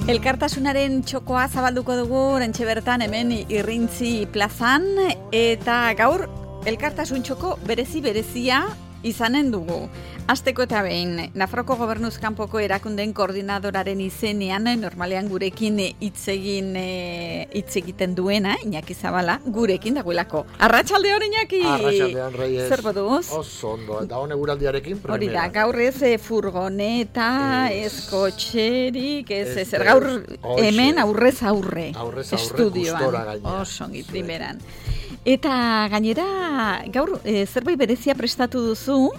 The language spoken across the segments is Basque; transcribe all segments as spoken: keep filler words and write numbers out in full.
Elkartasunaren txokoa zabalduko dugu oraintxe bertan hemen Irrintzi plazan, eta gaur elkartasun txoko berezi berezia izanen dugu. Hasteko eta behin, Nafarroko Gobernuz kanpoko erakundeen koordinadoraren izenean, normalean gurekin hitz egin hitz egiten duena, Iñaki Zabala, gurekin dagoelako. Arratsaldeon, Iñaki! Arratsaldeon, Reyes. Zer moduz? Oso ondo, eta hone guraldiarekin primera. Hori da, gaur ez furgoneta, ez kotxerik, ez zer gaur hemen aurrez aurre. Aurrez aurre, gustora gaina. Oso ongi, primeran. Eta gainera, gaur e, zerbait berezia prestatu duzu,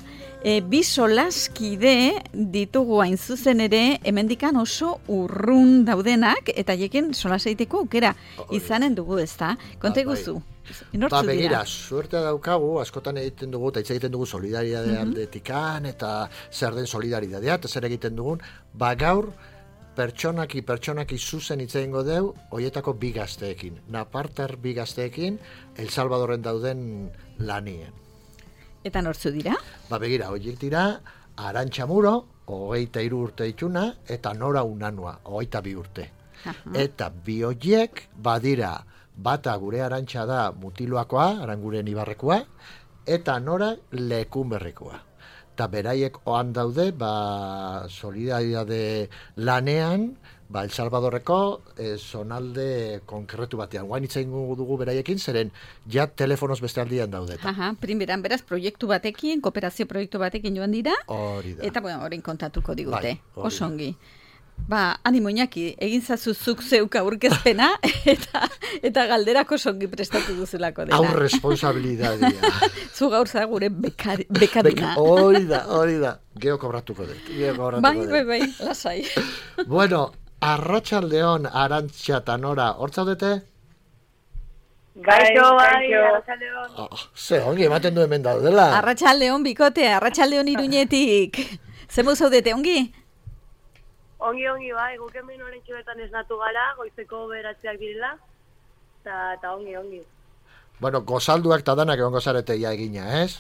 e, bi solaskide ditugu hain zuzen ere, hemendikan oso urrun daudenak, eta jekin solaseiteko aukera izanen dugu, ezta? Konta iguzu. Ba, begira, suertea daukagu, askotan egiten dugu, eta hitz egiten dugu solidaridade aldetikan, eta zer den solidaridadea, eta zer egiten dugun, ba gaur, pertsonaki, pertsonaki zuzen hitz egingo deu, hoietako bi gazteekin. Napartar bi gazteekin, El Salvadorren dauden lanien. Eta nortzu dira? Ba, begira, horiek dira, Arantxa Muro, hogeita hiru urte itxuna, eta Nora Unanua, hogeita bi urte. Aha. Eta bi horiek, badira, bata gure Arantxa da Mutiloakoa, Aranguren Ibarrekoa, eta Nora Lekunberrikoa. Eta beraiek oan daude, ba, solidaridade lanean, ba, El Salvadorreko eh, zonalde konkretu batean. Guain itzen dugu beraiekin, zeren ja telefonoz beste aldian daude. Aha, primeran beraz proiektu batekin, kooperazio proiektu batekin joan dira. Hori da. Eta, bueno, horrein kontatuko digute. Bai, oso ongi. Ba, animo Iñaki, egin zazuzuk zeuk aurkezpena, eta, eta galderako songi prestatu duzulako dela. Hau responsabilidadia. Zu gaur za gure bekar, bekaduna. Hori da, hori da. Geo kobratuko dut. Geo kobratuko bai, dut. bai, bai, lasai. Bueno, Arratsaldeon, Arantxa eta Nora, hor zaudete? Gaixo, bai, Arratsaldeon. Oh, ze, ongi ematen du hemen daudela. Arratsaldeon bikote, Arratsaldeon Iruñetik. Zemu zaudete, ongi? Ongi, ongi, bai, guk hemen oraintxe bertan esnatu gara, goizeko beratzeak direla, eta ongi, ongi. Bueno, gozalduak eta danak egon gozarete ia egina, ez?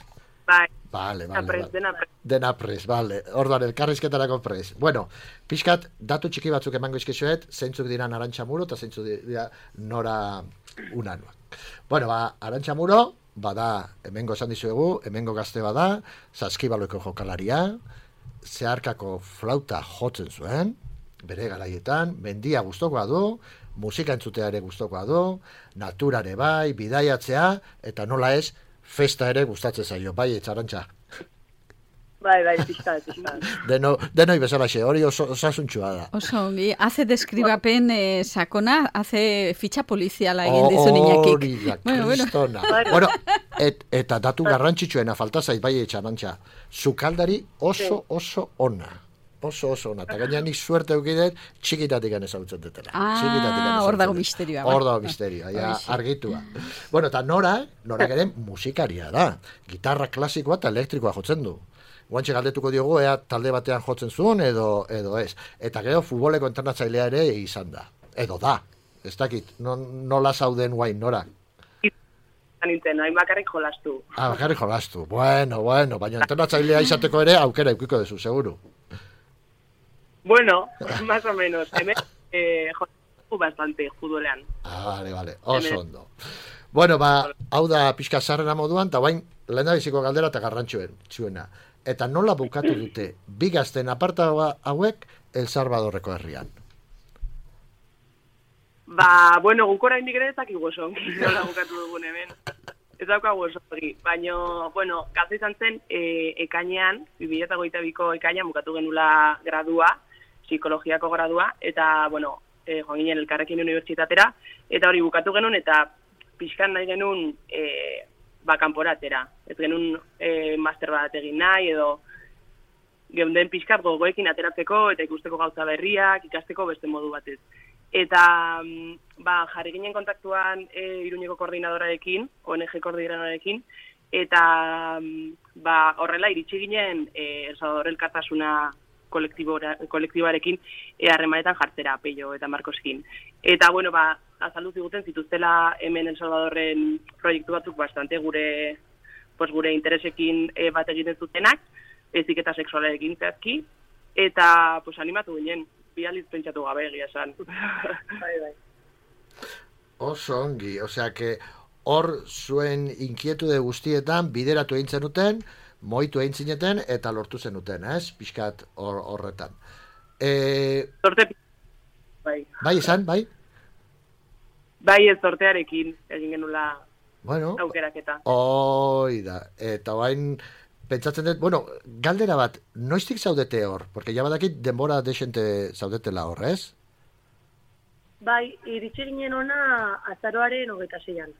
Bai, vale, dena vale, prez, vale. dena prez. Dena prez, vale. Orduan, elkarrizketarako prez. Bueno, pixkat, datu txiki batzuk emango izkizuet, zeintzuk dira Arantxa Muro eta zeintzuk dira Nora Unanua. Bueno, ba, Arantxa Muro, bada, hemengo esan dizuegu, hemengo gazte bada, saskibaloiko jokalaria, zeharkako flauta jotzen zuen, bere garaietan, mendia gustokoa du, musika entzutea ere gustokoa du, naturare bai, bidaiatzea, eta nola ez, festa ere gustatzen zaio, bai, etxarantxa. Bai, bai, pixka, pixka. Deno, denoi bezalaxe, hori oso, osasuntxua da. Oso ongi, hace deskribapen eh, sakona, hace fitxa poliziala egin dizu Iñakik. Hori da, bueno, kristona. Bueno. Bueno, et, eta datu garrantzitsuena falta zait, bai, etxarantxa. Zukaldari oso, oso ona. Oso, oso ona. Eta gaina nik suerte eukidet, txikitatik gane zautzen detela. Ah, hor dago misterioa. Hor dago misterioa, ja, argitua. Bueno, eta Nora, Nora ere musikaria da. Gitarra klasikoa eta elektrikoa jotzen du. Guantxe galdetuko diogu, ea talde batean jotzen zuen, edo, edo ez. Eta gero, futboleko entrenatzailea ere izan da. Edo da. Ez dakit, no, nola zauden guain, Nora? Nintzen, hain bakarrik jolastu. Ah, bakarrik jolastu. Bueno, bueno, baina entrenatzailea izateko ere aukera eukiko dezu, seguru. Bueno, más o menos. Hemen eh, jolastu bastante, judolean. Ah, vale, vale, oso ondo. Bueno, ba, hau da pixka zarrena moduan, eta bain, lehen da biziko galdera eta garrantzuen, txuena. Eta nola bukatu dute bi gazten aparta hauek El Salvadorreko herrian? Ba, bueno, guk oraindik ere ez dakigu oso ongi nola bukatu dugun hemen. Ez daukagu oso ongi. Baina, bueno, gazte izan zen e, ekainean, bi mila hogeita biko ekainean bukatu genula gradua, psikologiako gradua, eta, bueno, e, joan ginen elkarrekin unibertsitatera, eta hori bukatu genuen, eta pixkan nahi genuen e, ba, kanporatera. Ez genuen e, master bat egin nahi, edo geunden pixkat gogoekin ateratzeko, eta ikusteko gauza berriak, ikasteko beste modu batez. Eta ba, jarri ginen kontaktuan e, Iruñeko koordinadorarekin, O N G koordinadorarekin, eta ba, horrela iritsi ginen e, El Salvador elkartasuna kolektiboarekin e, harremanetan jartzera, Peio eta Markoskin. Eta, bueno, ba, azaldu ziguten zituztela hemen El Salvadorren proiektu batzuk bastante gure, pues, gure interesekin e, bat egiten zutenak, heziketa sexualarekin zehazki, eta pues, animatu ginen. bializ pentsatu gabe egia esan. Bai, bai. Oso ongi, osea, que hor zuen inkietude guztietan bideratu egin zenuten, moitu egin zineten eta lortu zenuten, ez? Pixkat hor, horretan. E... Sorte... Bai. Bai, izan, bai? Bai, ez sortearekin egin genula bueno, aukeraketa. Hoi da, eta bain pentsatzen dut, bueno, galdera bat, noiztik zaudete hor? Porque ja badakit denbora desente zaudetela hor, ez? Bai, iritsi ginen ona azaroaren hogeita zeian.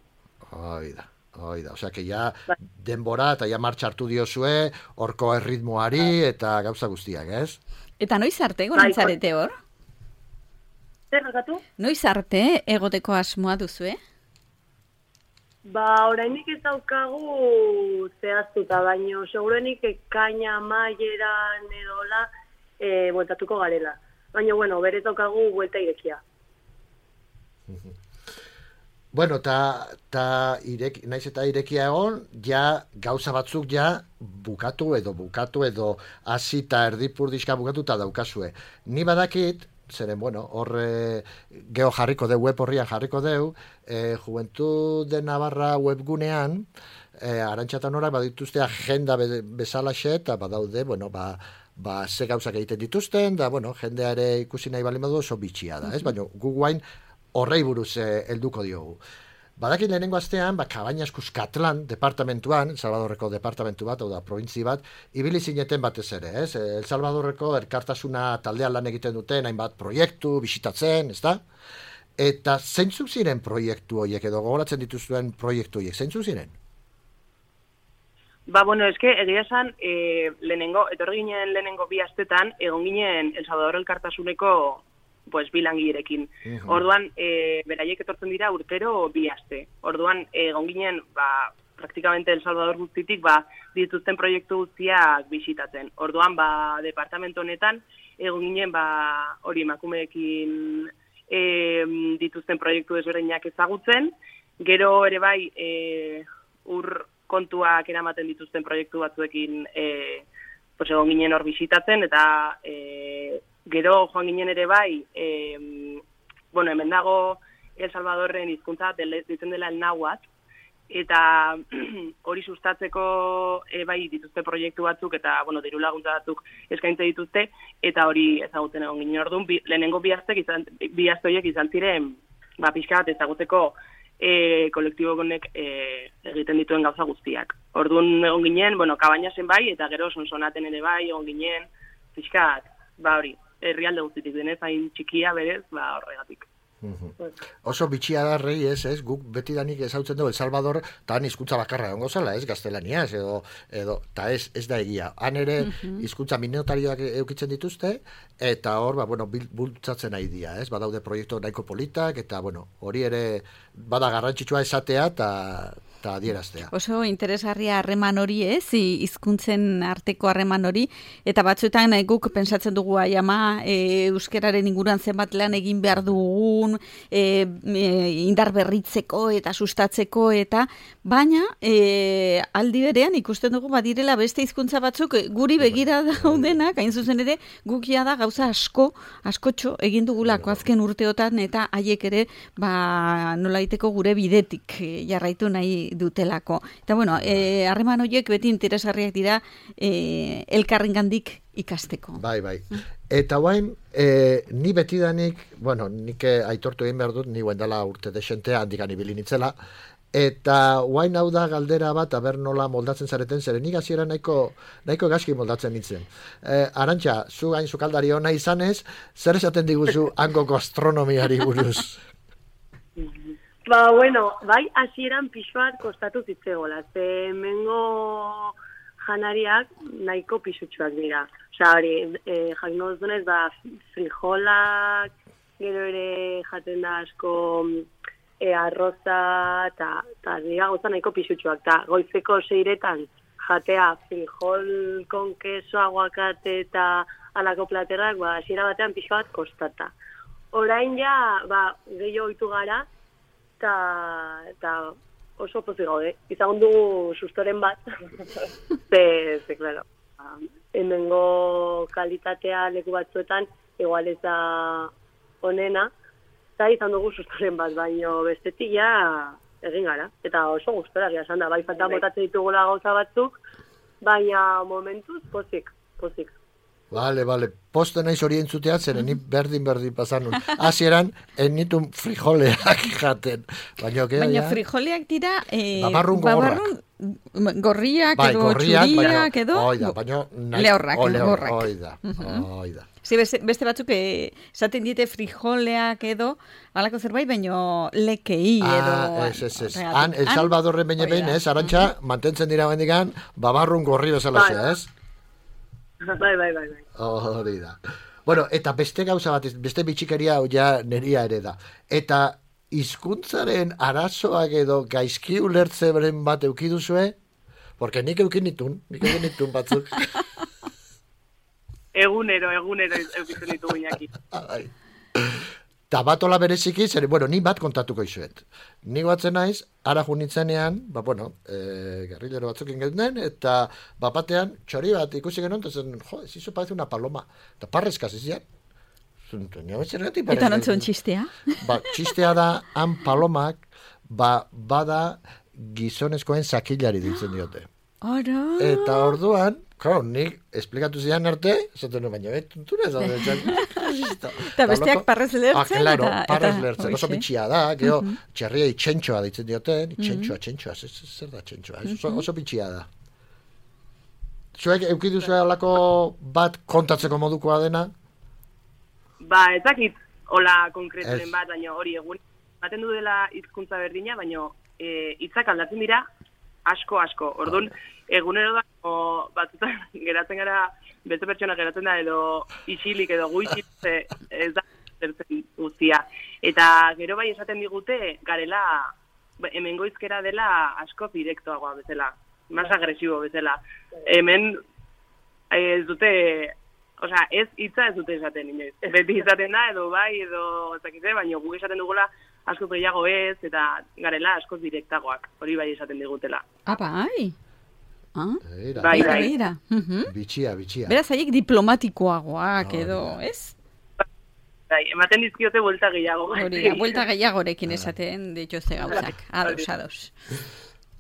Hoi da, hoi da, osea, que ja bai. Denbora eta ja martxa hartu diozue, horko erritmoari eta gauza guztiak, ez? Eta noiz arte egon zarete hor? Zer gatu? Noiz arte egoteko asmoa duzue? Ba, orainik ez daukagu zehaztuta, baino segurenik ekaina amaieran edola e, bueltatuko garela. Baina, bueno, berez daukagu buelta irekia. Bueno, ta, ta irek, naiz eta irekia egon, ja gauza batzuk ja bukatu edo bukatu edo hasi eta erdipurdizka bukatu eta daukazue. Ni badakit, zeren, bueno, horre geho jarriko deu, web horrian jarriko deu, e, Juventud de Navarra webgunean, e, Arantxa Norak badituzte agenda be, bezalaxe, eta badaude, bueno, ba, ba, ze gauzak egiten dituzten, da, bueno, jendeare ikusi nahi bali modu oso bitxia da, ez? Baina, gu guain horrei buruz eh, helduko diogu. Badakit lehenengo astean, ba, Cabañas Cuscatlán departamentuan, El Salvadorreko departamentu bat, hau da, probintzi bat, ibili zineten batez ere, ez? El Salvadorreko erkartasuna taldean lan egiten duten, hainbat proiektu, bisitatzen, ez da? Eta zeintzuk ziren proiektu horiek, edo gogoratzen dituzuen proiektu horiek, zeintzuk ziren? Ba, bueno, eske, egia esan, e, lehenengo, etorri ginen lehenengo bi astetan, egon ginen El Salvador elkartasuneko pues bilangirekin. Uh-huh. Orduan, e, beraiek etortzen dira urtero bi aste. Orduan, egon ginen, ba, praktikamente El Salvador guztitik, ba, dituzten proiektu guztiak bisitatzen. Orduan, ba, departamento honetan, egon ginen, ba, hori emakumeekin e, dituzten proiektu desberdinak ezagutzen, gero ere bai, e, ur kontuak eramaten dituzten proiektu batzuekin e, pues, egon ginen hor bisitatzen, eta e, gero joan ginen ere bai, e, bueno, hemen dago El Salvadorren hizkuntza ditzen dela el náhuatl, eta hori sustatzeko e, bai dituzte proiektu batzuk, eta, bueno, diru laguntza batzuk eskaintze dituzte, eta hori ezagutzen egon ginen. Orduan, bi, lehenengo bi aste izan, bi aste horiek izan ziren, ba, pixka bat ezaguteko e, kolektibo honek e, egiten dituen gauza guztiak. Orduan egon ginen, bueno, Cabañasen bai, eta gero Sonsonaten ere bai, egon ginen, pixka bat, ba hori, herrialde guztitik denez, hain txikia berez, ba horregatik. Uhum. Oso bitxia da rei, ez, ez, guk betidanik ezautzen dugu El Salvador, eta han hizkuntza bakarra egongo zela, ez, gaztelaniaz, edo, edo, eta ez, ez da egia. Han ere hizkuntza uh-huh. minotarioak eukitzen dituzte, eta hor, ba, bueno, bultzatzen nahi dira, ez, badaude proiektu nahiko politak, eta, bueno, hori ere bada garrantzitsua esatea, eta eta adieraztea. Oso interesgarria harreman hori, ez, hizkuntzen arteko harreman hori, eta batzuetan guk pensatzen dugu aiama, e, euskeraren inguruan zenbat lan egin behar dugun, e, e, indar berritzeko eta sustatzeko, eta baina e, aldi berean ikusten dugu badirela beste hizkuntza batzuk guri begira daudenak, hain zuzen ere, gukia da gauza asko, askotxo egin dugulako azken urteotan, eta haiek ere, ba, nolaiteko gure bidetik jarraitu nahi dutelako. Eta bueno, harreman eh, horiek beti interesgarriak dira eh, elkarrengandik ikasteko. Bai, bai. Eta guain, eh, ni betidanik, bueno, nik aitortu egin behar dut, ni guen dela urte desentea, handikan ibili nitzela, eta guain hau da galdera bat, aber nola moldatzen zareten, zeren nik hasiera nahiko, nahiko gaski moldatzen nintzen. Eh, Arantxa, zu gain zukaldari hona izanez, zer esaten diguzu hango gastronomiari buruz? Ba, bueno, bai, hasieran pixuat kostatu zitzegola, ze hemengo janariak nahiko pisutsuak dira. Osa, hori, e, jakin duzunez, ba, frijolak, gero ere jaten da asko e, arroza, eta dira gauza nahiko pisutsuak. Ta goizeko seiretan jatea frijol con queso, aguacate eta alako platerrak, ba, hasiera batean pixuat kostata. Orain ja, ba, gehiago ohitu gara, eta oso pozik gaude. Izan dugu sustoren bat. ze, ze, claro. hemengo kalitatea leku batzuetan, igual ez da onena, eta izan dugu sustoren bat, baino bestetik ja egin gara. Eta oso gustora gira esan da, bai falta botatzen ditugula gauza batzuk, baina momentuz pozik, pozik. Vale, vale. Poste naiz hori entzutea, zeren ni berdin-berdin pasan nun. Hasieran, ennitun frijoleak jaten. Baina, okay, baina ja? frijoleak dira... Eh, babarrun gogorrak. Babarrun gorriak bai, edo gorriak, txuriak edo... Oida, baina... Lehorrak, lehorrak. Oida, oida. Sí, beste, beste batzuk esaten diete frijoleak edo, alako zerbait, baino lekei edo... Ah, ez, ez, ez. Han, El Salvadorren baina behin, ez, Arantxa, mantentzen dira bendikan, babarrun gorri bezala, ez? Bai, bai, bai, bai. Hori da. Bueno, eta beste gauza bat, beste bitxikeria ja neria ere da. Eta hizkuntzaren arazoak edo gaizki ulertzeren bat eukiduzue, porque nik eukin nitun, nik eukin nitun batzuk. Egunero, egunero eukitzen ditu guinaki. Ta batola bereziki, zer, bueno, ni bat kontatuko izuet. Ni batzen naiz, ara junitzenean, ba, bueno, e, gerrilero batzukin genuen, eta bapatean, txori bat ikusi genuen, eta zen, jo, ez izo parece una paloma. Eta parrezkaz izian. Eta nontzuen txistea? Ba, txistea da, han palomak, ba, bada gizonezkoen sakilari ditzen diote. Ara! Eta orduan, claro, nik esplikatu zidan arte, esaten nuen, baina betuntura ez da. Eta besteak parrez lertzen. Ah, claro, parrez lertzen. Oso bitxia da, geho, txerria itxentxoa ditzen dioten, itxentxoa, txentxoa, zer da txentxoa, oso bitxia da. Zuek, eukiduzu alako bat kontatzeko modukoa dena? Ba, ezakit, hola konkreturen bat, baina hori egun, baten du dela hizkuntza berdina, baina hitzak aldatzen dira, asko, asko. Orduan, egunero da, batzutan geratzen gara, beste pertsona geratzen da, edo isilik, edo guizik, ez da, zertzen guztia. Eta gero bai esaten digute, garela, hemen goizkera dela asko direktoagoa bezala, más agresibo bezala. Hemen ez dute, osea, ez hitza ez dute esaten, inoiz. Beti izaten da, edo bai, edo ezakite, baina guk esaten dugula, asko gehiago ez, eta garela asko direktagoak, hori bai esaten digutela. Ah, bai? Ah? Eira, bai, bai. Eira. Bitxia, bitxia. Beraz, haiek diplomatikoagoak edo, ez? Bai, ematen dizkiote buelta gehiago. Hori da, buelta gehiagorekin esaten dituzte gauzak. Ados, ados.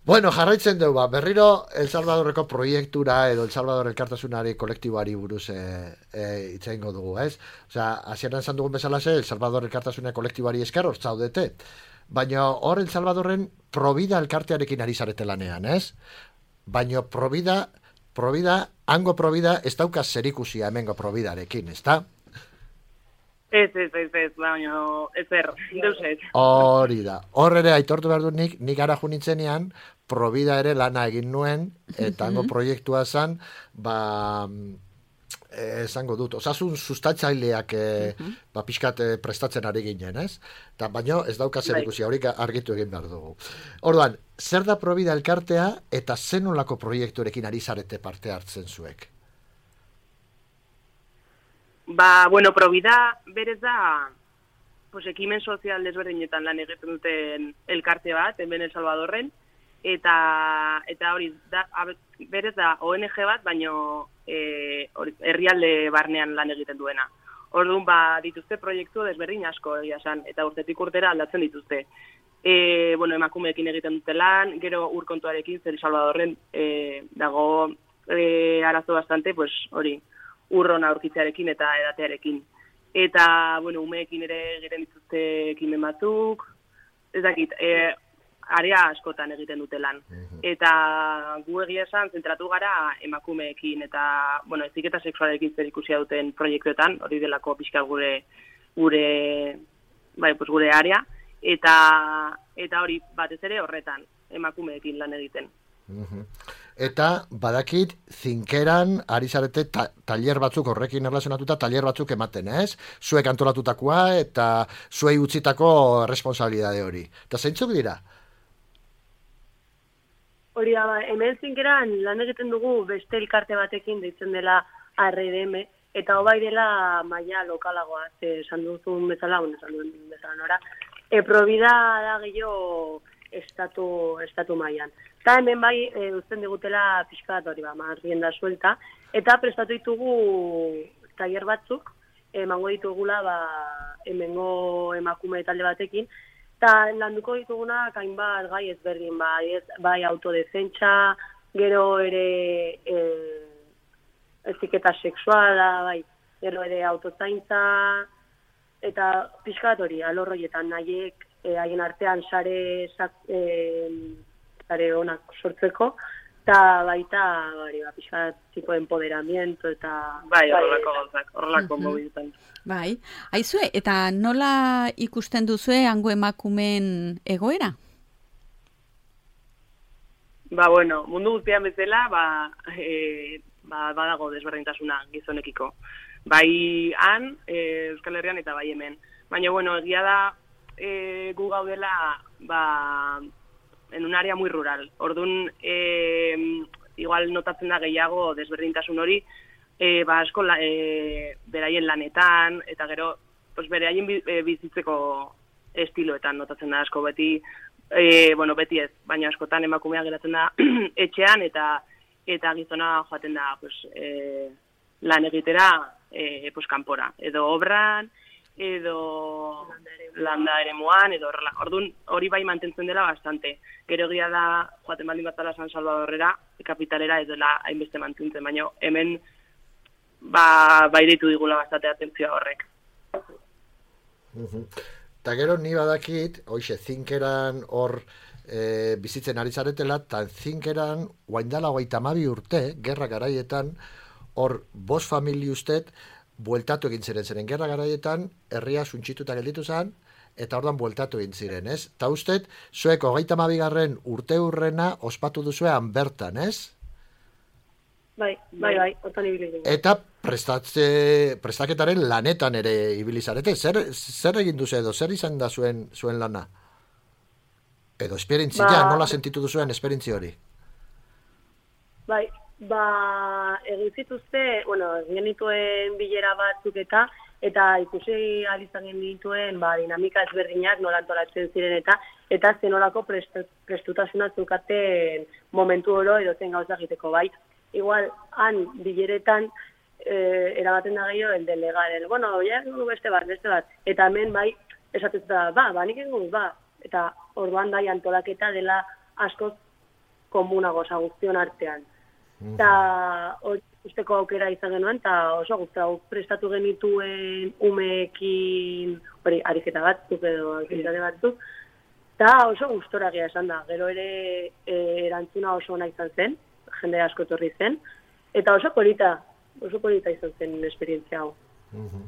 Bueno, jarraitzen dugu, ba, berriro El Salvadorreko proiektura edo El Salvador elkartasunari kolektiboari buruz e, e, itzaingo dugu, ez? Osea, hasieran esan dugun bezalaxe, El Salvador elkartasunari kolektiboari esker hor zaudete. Baina hor El Salvadorren Provida elkartearekin ari zarete lanean, ez? Baina Provida, Provida, hango Provida ez dauka zerikusia hemengo Providarekin, ez da? Ez, ez, ez, ez, baina ez er, deus ez. Hori da. Hor ere aitortu behar dut nik, nik ara junitzenean, Provida ere lana egin nuen, eta hango proiektua zen, ba, esango dut, osasun sustatzaileak e, ba, pixkat e, prestatzen ari ginen, ez? Ta, baina ez dauka zer ikusi, haurik argitu egin behar dugu. Orduan, zer da Provida elkartea eta zenolako proiekturekin ari zarete parte hartzen zuek? Ba, bueno, Provida berez da, pues, ekimen sozial desberdinetan lan egiten duten elkarte bat, hemen El Salvadorren, eta eta hori, da, berez da O N G bat, baino e, herrialde barnean lan egiten duena. Orduan, ba, dituzte proiektu desberdin asko egia esan, eta urtetik urtera aldatzen dituzte. E, bueno, emakumeekin egiten dute lan, gero urkontuarekin, zer El Salvadorren e, dago e, arazo bastante, pues, hori, urron aurkitzearekin eta edatearekin. Eta, bueno, umeekin ere egiten dituzte ekimen batzuk, ez dakit, e, area askotan egiten dute lan. Eta gu egia esan zentratu gara emakumeekin eta, bueno, heziketa sexualekin zer ikusia duten proiektuetan, hori delako pixka gure gure bai, pues gure area, eta eta hori batez ere horretan emakumeekin lan egiten. Eta badakit zinkeran ari zarete ta, tailer batzuk horrekin erlazionatuta tailer batzuk ematen, ez? Zuek antolatutakoa eta zuei utzitako responsabilidade hori. Eta zeintzuk dira? Hori da, hemen zinkeran lan egiten dugu beste elkarte batekin deitzen dela R D M, eta hobai dela maila lokalagoa, esan duzun bezala, bueno, esan duen bezala nora. E, Provida da gehiago estatu, estatu mailan. Eta hemen bai, e, uzten digutela pixka bat hori, ba, rienda suelta, Eta prestatu ditugu tailer batzuk, emango ditugula ba, hemengo emakume talde batekin, eta landuko ditugunak hainbat gai ezberdin, bai, ez, bai autodefentsa, gero ere e, eziketa sexuala, bai, gero ere autozaintza, eta pixkat hori, alorroietan nahiek, e, haien artean sare, sak, e, sare onak sortzeko, eta baita, bari, ba, pixkat tipo empoderamiento, eta... Bai, horrelako gauzak, horrelako uh-huh. mobilutan. Bai, aizue, eta nola ikusten duzue hango emakumeen egoera? Ba, bueno, mundu guztian bezala, ba, e, ba, badago desberdintasuna gizonekiko. Bai han, e, Euskal Herrian eta bai hemen. Baina, bueno, egia da e, gu gaudela, ba, en un área muy rural. Orduan, e, igual notatzen da gehiago desberdintasun hori, e, ba, asko la, e, beraien lanetan, eta gero, pues, beraien bizitzeko estiloetan notatzen da asko beti, E, bueno, beti ez, baina askotan emakumea geratzen da etxean eta eta gizona joaten da pues, e, lan egitera e, pues, kanpora. Edo obran, edo landa eremuan, edo horrela. Orduan hori bai mantentzen dela bastante. Gero egia da joaten baldin batala San Salvadorrera, kapitalera ez dela hainbeste mantentzen, baina hemen ba, bai ditu digula bastante atentzioa horrek. Uh-huh. Eta gero ni badakit, hoxe, zinkeran hor e, bizitzen ari zaretela, eta zinkeran guaindala hogeita hamabi urte, gerra garaietan, hor bost famili ustet, bueltatu egin ziren ziren. Gerra garaietan, herria suntxituta gelditu zen, eta ordan bueltatu egin ziren, ez? Eta ustet, zuek hogeita hamabi garren urte hurrena ospatu duzuean bertan, ez? Bai, bai, bai, otan ibili. Eta prestatze, prestaketaren lanetan ere ibili zarete. Zer, zer egin duzu edo, zer izan da zuen, zuen lana? Edo esperientzia, ba, nola sentitu duzuen esperientzia hori? Bai, ba, egin zituzte, bueno, genituen bilera batzuk eta, eta ikusi alizan genituen, ba, dinamika ezberdinak nola antolatzen ziren eta, eta zenolako prest, prestutasuna zukaten momentu oro edo zen gauza egiteko, bai. Igual, han, bileretan, eh, erabaten da gehiago, el delegar, el, bueno, ja, beste bat, beste bat. Eta hemen, bai, esatzen da, ba, ba, nik egun, ba. Eta orduan da, antolaketa dela askoz komunago, oza, guztion artean. Eta hori usteko aukera izan genuen, eta oso guztau prestatu genituen umeekin, hori, ariketa batzuk edo, aktivitate batzuk, eta oso gustoragia esan da. Gero ere eh, erantzuna oso ona izan zen, jende asko etorri zen, eta oso polita, oso polita izan zen esperientzia hau. Uh-huh.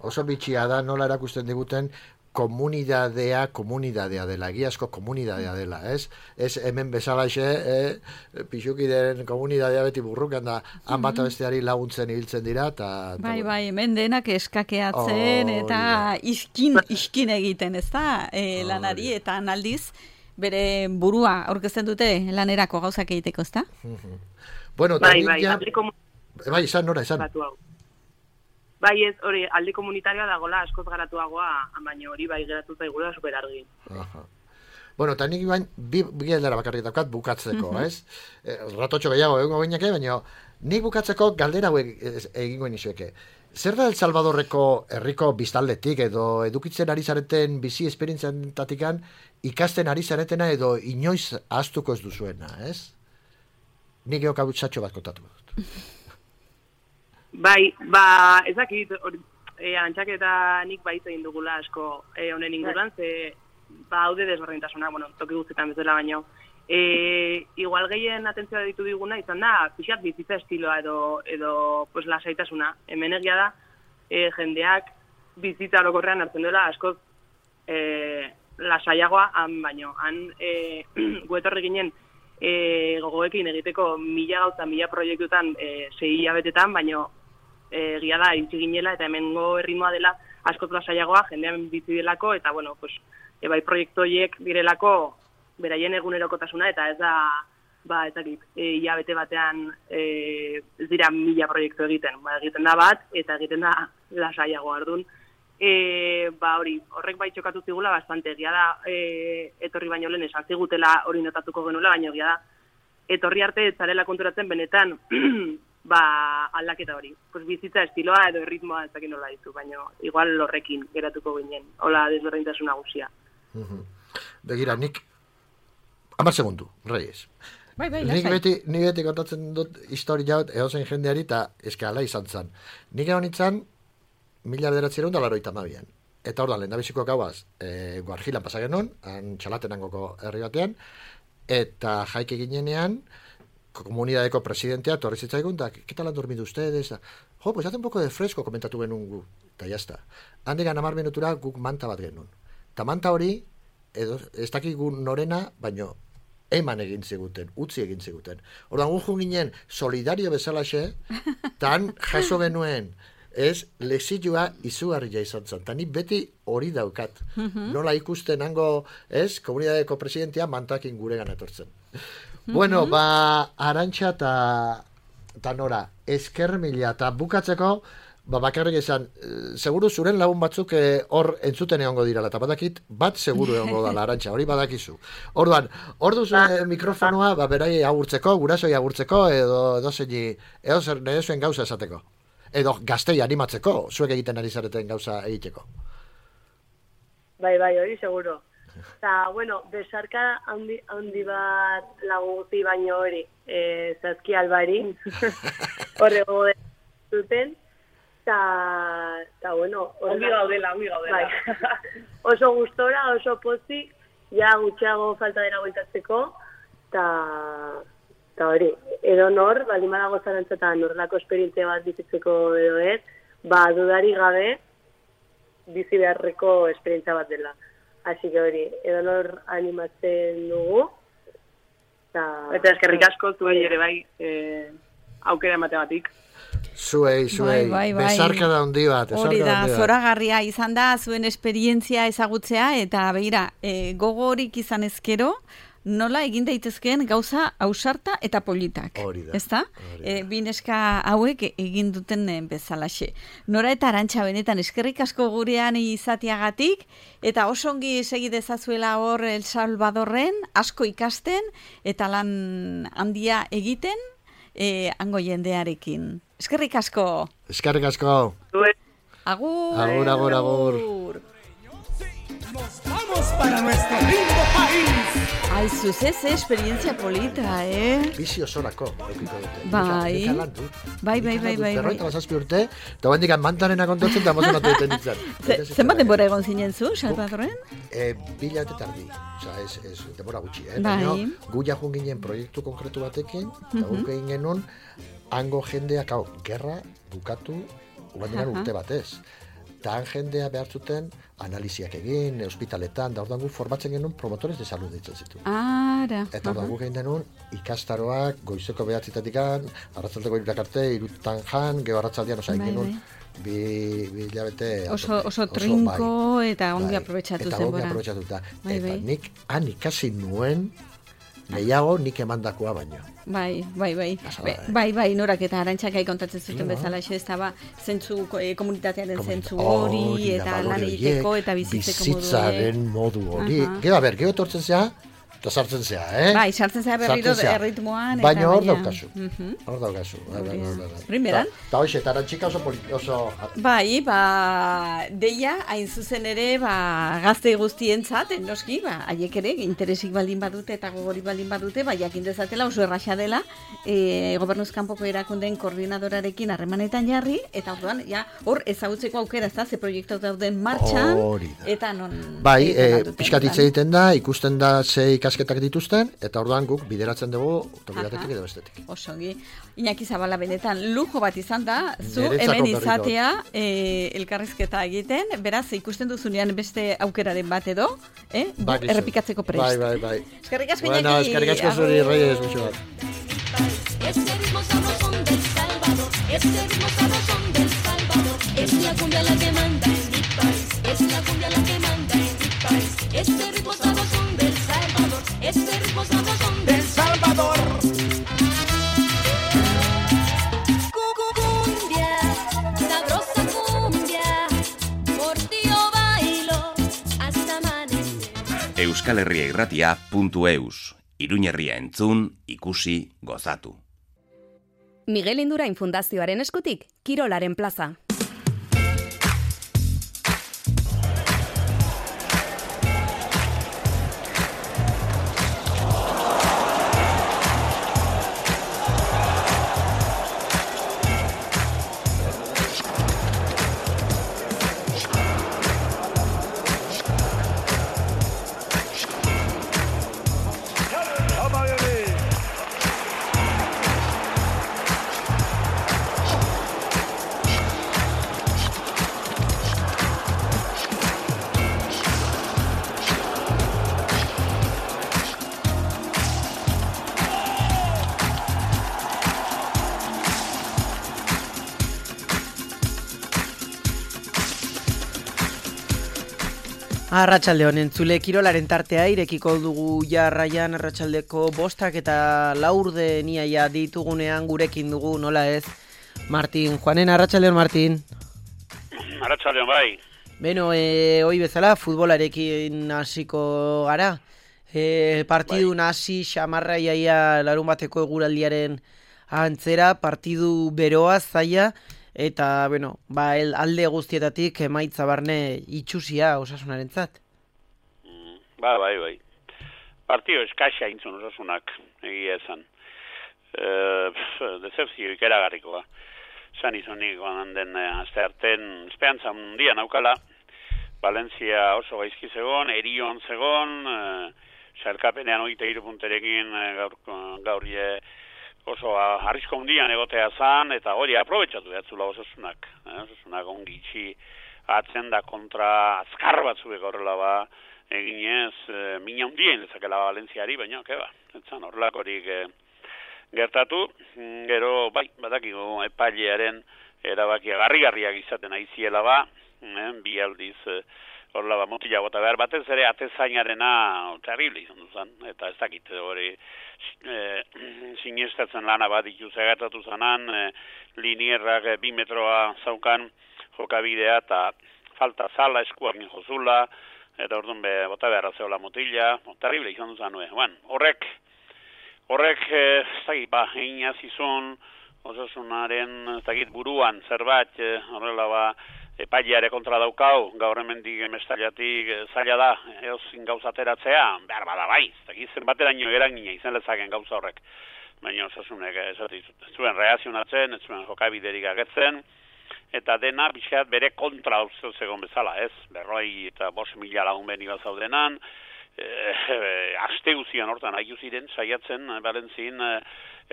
Oso bitxia da, nola erakusten diguten, komunidadea, komunidadea dela, egiazko komunidadea dela, ez? Ez hemen bezalaxe, eh, pixukiden komunidadea beti burrukan da, han bat besteari laguntzen ibiltzen dira, eta... Bai, bai, hemen denak eskakeatzen, oh, eta iskin, iskin egiten, ez da, e, lanari, eta analdiz, bere burua aurkezten dute lanerako gauzak egiteko, ezta? Uh-huh. Bueno, bai, bai, ja... aldi komunitario. Bai, izan, nora, izan. Bai, ez, hori, aldi komunitarioa dagoela askoz garatuagoa, baina hori bai geratu zaigula super argi. Aha. Bueno, eta nik bain, bi, bi galdera bakarrik daukat bukatzeko, uh-huh. ez? E, ratotxo gehiago egongo bainake, baina nik bukatzeko galdera hauek egingo inizueke. Zer da El Salvadorreko herriko biztaldetik edo edukitzen ari zareten bizi esperientziantatikan ikasten ari zaretena edo inoiz ahaztuko ez duzuena, ez? Nik eo kabutsatxo bat kontatu dut. Bai, ba, ezakit, e, antxak eta nik baita egin dugula asko e, honen inguruan, ze ba, haude desberdintasuna, bueno, toki guztetan bezala baino. E, igual gehien atentzioa ditu diguna izan da, pixat bizitza estiloa edo, edo pues, lasaitasuna. Hemen egia da, e, jendeak bizitza orokorrean hartzen duela askoz e, lasaiagoa, han baino. Han e, guetorri ginen e, gogoekin egiteko mila gauza, mila proiektutan e, sei hilabetetan, baino e, egia da, itxi ginela eta hemengo erritmoa dela askoz lasaiagoa, jendean bizi delako, eta bueno, pues, e, bai proiektu horiek direlako beraien egunerokotasuna, eta ez da, ba, ez dakit, e, hilabete batean e, ez dira mila proiektu egiten. Ba, egiten da bat, eta egiten da lasaiago ardun. E, ba, hori, horrek bai txokatu zigula bastante. Egia da, e, etorri baino lehen esan zigutela hori notatuko genuela, baina egia da, etorri arte ez zarela konturatzen benetan ba, aldaketa hori. Pues bizitza estiloa edo erritmoa ez dakit nola ditu, baina igual horrekin geratuko ginen. Hola desberdintasun nagusia. Uh-huh. Begira, nik hamar segundu, Reyes. Bai, bai, Nik lasai. beti, nik beti kontatzen dut historia hau edozein jendeari eta eske ala izan zen. Nik egon nintzen mila bederatziehun eta laurogeita hamabian. Eta ordan lehendabiziko gauaz, e, Guarjilan pasa genuen, han Txalatenangoko herri batean, eta jaike ginenean, komunidadeko presidentea torri zitzaigun, da, ¿qué tal han dormido ustedes? Jo, pues hace un poco de fresco, komentatu genuen gu, eta jazta. Handigan hamar minutura guk manta bat genuen. Ta manta hori, edo, ez dakigu norena, baino, eman egin ziguten, utzi egin ziguten. Ordan gu ginen solidario bezalaxe, tan jaso genuen, ez, lexilloa izugarria izan zen. Ta nik beti hori daukat. Nola ikusten hango, ez, komunidadeko presidentea mantakin guregan etortzen. Bueno, ba, Arantxa eta Nora, esker mila, eta bukatzeko, ba, bakarrik esan, seguru zuren lagun batzuk hor eh, entzuten egongo dirala, eta badakit, bat seguru egongo dala, Arantxa, hori badakizu. Orduan, hor duzu eh, mikrofonoa, ba, berai agurtzeko, gurasoi agurtzeko, edo, edo zeini, edo zer nire zuen gauza esateko. Edo gaztei animatzeko, zuek egiten ari zareten gauza egiteko. Bai, bai, hori seguro. Eta, bueno, besarka handi, handi bat laguzi baino hori, e, Zazki Albari, horrego duten, eta, bueno... Ongi gaudela, ongi gaudela. Bai. Oso gustora, oso pozik, ja gutxiago falta dira goitatzeko, eta... Eta hori, edo nor, baldin badago zarantzetan norlako esperientzia bat bizitzeko edo ez, ba, dudari gabe bizi beharreko esperientzia bat dela. Así que hori, edo nor animatzen dugu. Ta... Eta eskerrik asko zuei ere bai, eh, aukera emategatik. Zuei, zuei, bai, bai, bai. besarka da handi bat. Hori da, zoragarria izan da, zuen esperientzia ezagutzea, eta begira, e, gogo horik izan ezkero, nola egin daitezkeen gauza ausarta eta politak. Hori da. Ezta? E, bineska hauek egin duten bezalaxe. Nora eta Arantxa benetan eskerrik asko gurean izateagatik, eta oso ongi segi dezazuela hor El Salvadorren, asko ikasten, eta lan handia egiten, e, hango jendearekin. Eskerrik asko. Eskerrik asko. Agur. Agur, agur, agur. Nos vamos para nuestro lindo país. Ai, zuzez, experiencia polita, eh? Bizi osorako, okiko dute. Bai. Nika lan dut. Bai, bai, bai, bai. Berroita bazazpi urte, eta bendikan mantanena kontotzen, eta emozionatu duten ditzen. Zenbat denbora egon zinen zu, Salvadorren? E, bila eta tardi, oza, ez, ez, denbora gutxi, eh? Bai. Baina, gu jajun ginen proiektu konkretu batekin, eta guk egin genuen, hango jendeak, hau, gerra bukatu, ugandinan urte batez. Eta han jendea behar zuten analiziak egin, ospitaletan, da ordan gu formatzen genuen promotores de salud ditzen zitu. Ara. Eta ordan gu egin denuen ikastaroak, goizeko behatzitatikan, arratzaldeko irurak arte, irutan jan, geho arratzaldian, oza, egin genuen, bi, bi hilabete... Oso, oso trinko bai, eta ongi bai, aprobetsatu eta zenbora. ongi aprobetsatuta. Bai, Eta bai. nik han ikasi nuen, gehiago nik emandakoa baino. Bai, bai, bai. Pasada, Be, eh? bai, bai, norak eta Arantxak gai kontatzen zuten No. bezala, ez da, ba, zentzu, eh, komunitatearen Komunita- zentzu hori, hori da, eta balore lan horiek, egiteko, eta bizitzeko modu bizitzaren modu hori. Aha. Gero, a ber, gero tortzen zea, eta sartzen zea, eh? Bai, sartzen zea berriro Sartzen zea. erritmoan. eta Baina hor baina- daukazu, Mhm. hor daukazu. Bai, bai, bai, bai. Primeran. Ta- Ta hoxe, eta Arantxika oso, poli- oso... Bai, ba, deia, hain zuzen ere, ba, gazte guztientzat, noski, ba, haiek ere, interesik baldin badute eta gogorik baldin badute, ba, jakin dezatela oso erraxa dela, e, gobernuz kanpoko erakundeen koordinadorarekin harremanetan jarri, eta orduan, ja, hor ezagutzeko aukera, ez da, ze proiektu dauden martxan, Hori da. eta non... Bai, egiten e, alduten, pixkat hitz lan. egiten da, ikusten da ze ikasketak dituzten, eta orduan guk bideratzen dugu toki Aha. batetik edo bestetik. Osongi. Iñaki Zabala benetan lujo bat izan da, zu Niretzako hemen berriro. izatea e, elkarrizketa egiten, beraz ikusten duzunean beste aukeraren bat edo, eh? Bai, gizu. errepikatzeko prest. Bai, bai, bai. Eskerrik asko, Bueno, Iñaki. eskerrik asko zuri, Agur. Reyes, mucho bat. Este ritmo sabrosón del Salvador, este ritmo sabrosón del Salvador, es la cumbia la que manda en mi país, es la cumbia la que manda en mi país, este ritmo sabrosón del Salvador, este ritmo sabrosón del Salvador. cumbia, sabrosa cumbia, por ti yo bailo hasta amanecer. Euskal Herria irratia puntu eus. Iruñerria entzun, ikusi, gozatu. Miguel Indurain Fundazioaren eskutik, Kirolaren plaza. Arratsalde honen entzule kirolaren tartea irekiko dugu jarraian arratsaldeko bostak eta laurde niaia ditugunean gurekin dugu nola ez. Martin, Juanen arratsaldeon Martin. Arratsaldeon bai. Beno, eh, hoi bezala futbolarekin hasiko gara. Eh, partidu bai. Hasi xamarra iaia larun bateko eguraldiaren antzera, partidu beroa zaila. Eta, bueno, ba, el, alde guztietatik emaitza barne itxusia Osasunarentzat. Mm, ba, bai, bai. Partio eskaxa intzun Osasunak, egia esan. E, Decepzio ikeragarrikoa. San izonik, banan den azte harten, espeantza mundian aukala, Valencia oso gaizki zegon, Erion zegon, e, sarkapenean oita hiru punterekin gaur, gaur je, oso arrisko hundian egotea zan, eta hori aprobetxatu behatzula Osasunak. Eh? Osasunak ongitxi atzen da kontra azkar batzuek horrela ba, eginez, e, mina hundien lezakela Valentziari, baina, keba, etzan horrelakorik e, gertatu, gero, bai, badakigu epailearen erabakia garri-garriak izaten aiziela ba, eh? bi aldiz, e, horrela ba, motila bota behar, batez ere atezainarena terrible izan duzan, eta ez dakit hori e, sinestatzen lana bat dituz egertatu zanan, e, linierrak e, bi metroa zaukan jokabidea eta falta zala eskuak jozula, eta orduan be, bota beharra zeola motila, o, terrible izan duzan nuen. Bueno, horrek, horrek, e, ez dakit, ba, einaz izun, Osasunaren, ez dakit, buruan zerbait, e, horrela ba, epaileare kontra daukau, gaur hemendik emestaliatik zaila da, eozin gauza ateratzea, behar bada bai, zen bateraino eragina izan lezaken gauza horrek. Baina Osasunek ez zuen reazionatzen, ez zuen jokabiderik agertzen, eta dena pixkat bere kontra uste zegoen bezala, ez? Berroi eta bost mila lagun beni bat zaudenan, e, e, aste guzian hortan haiu ziren, saiatzen, Valentzin, e,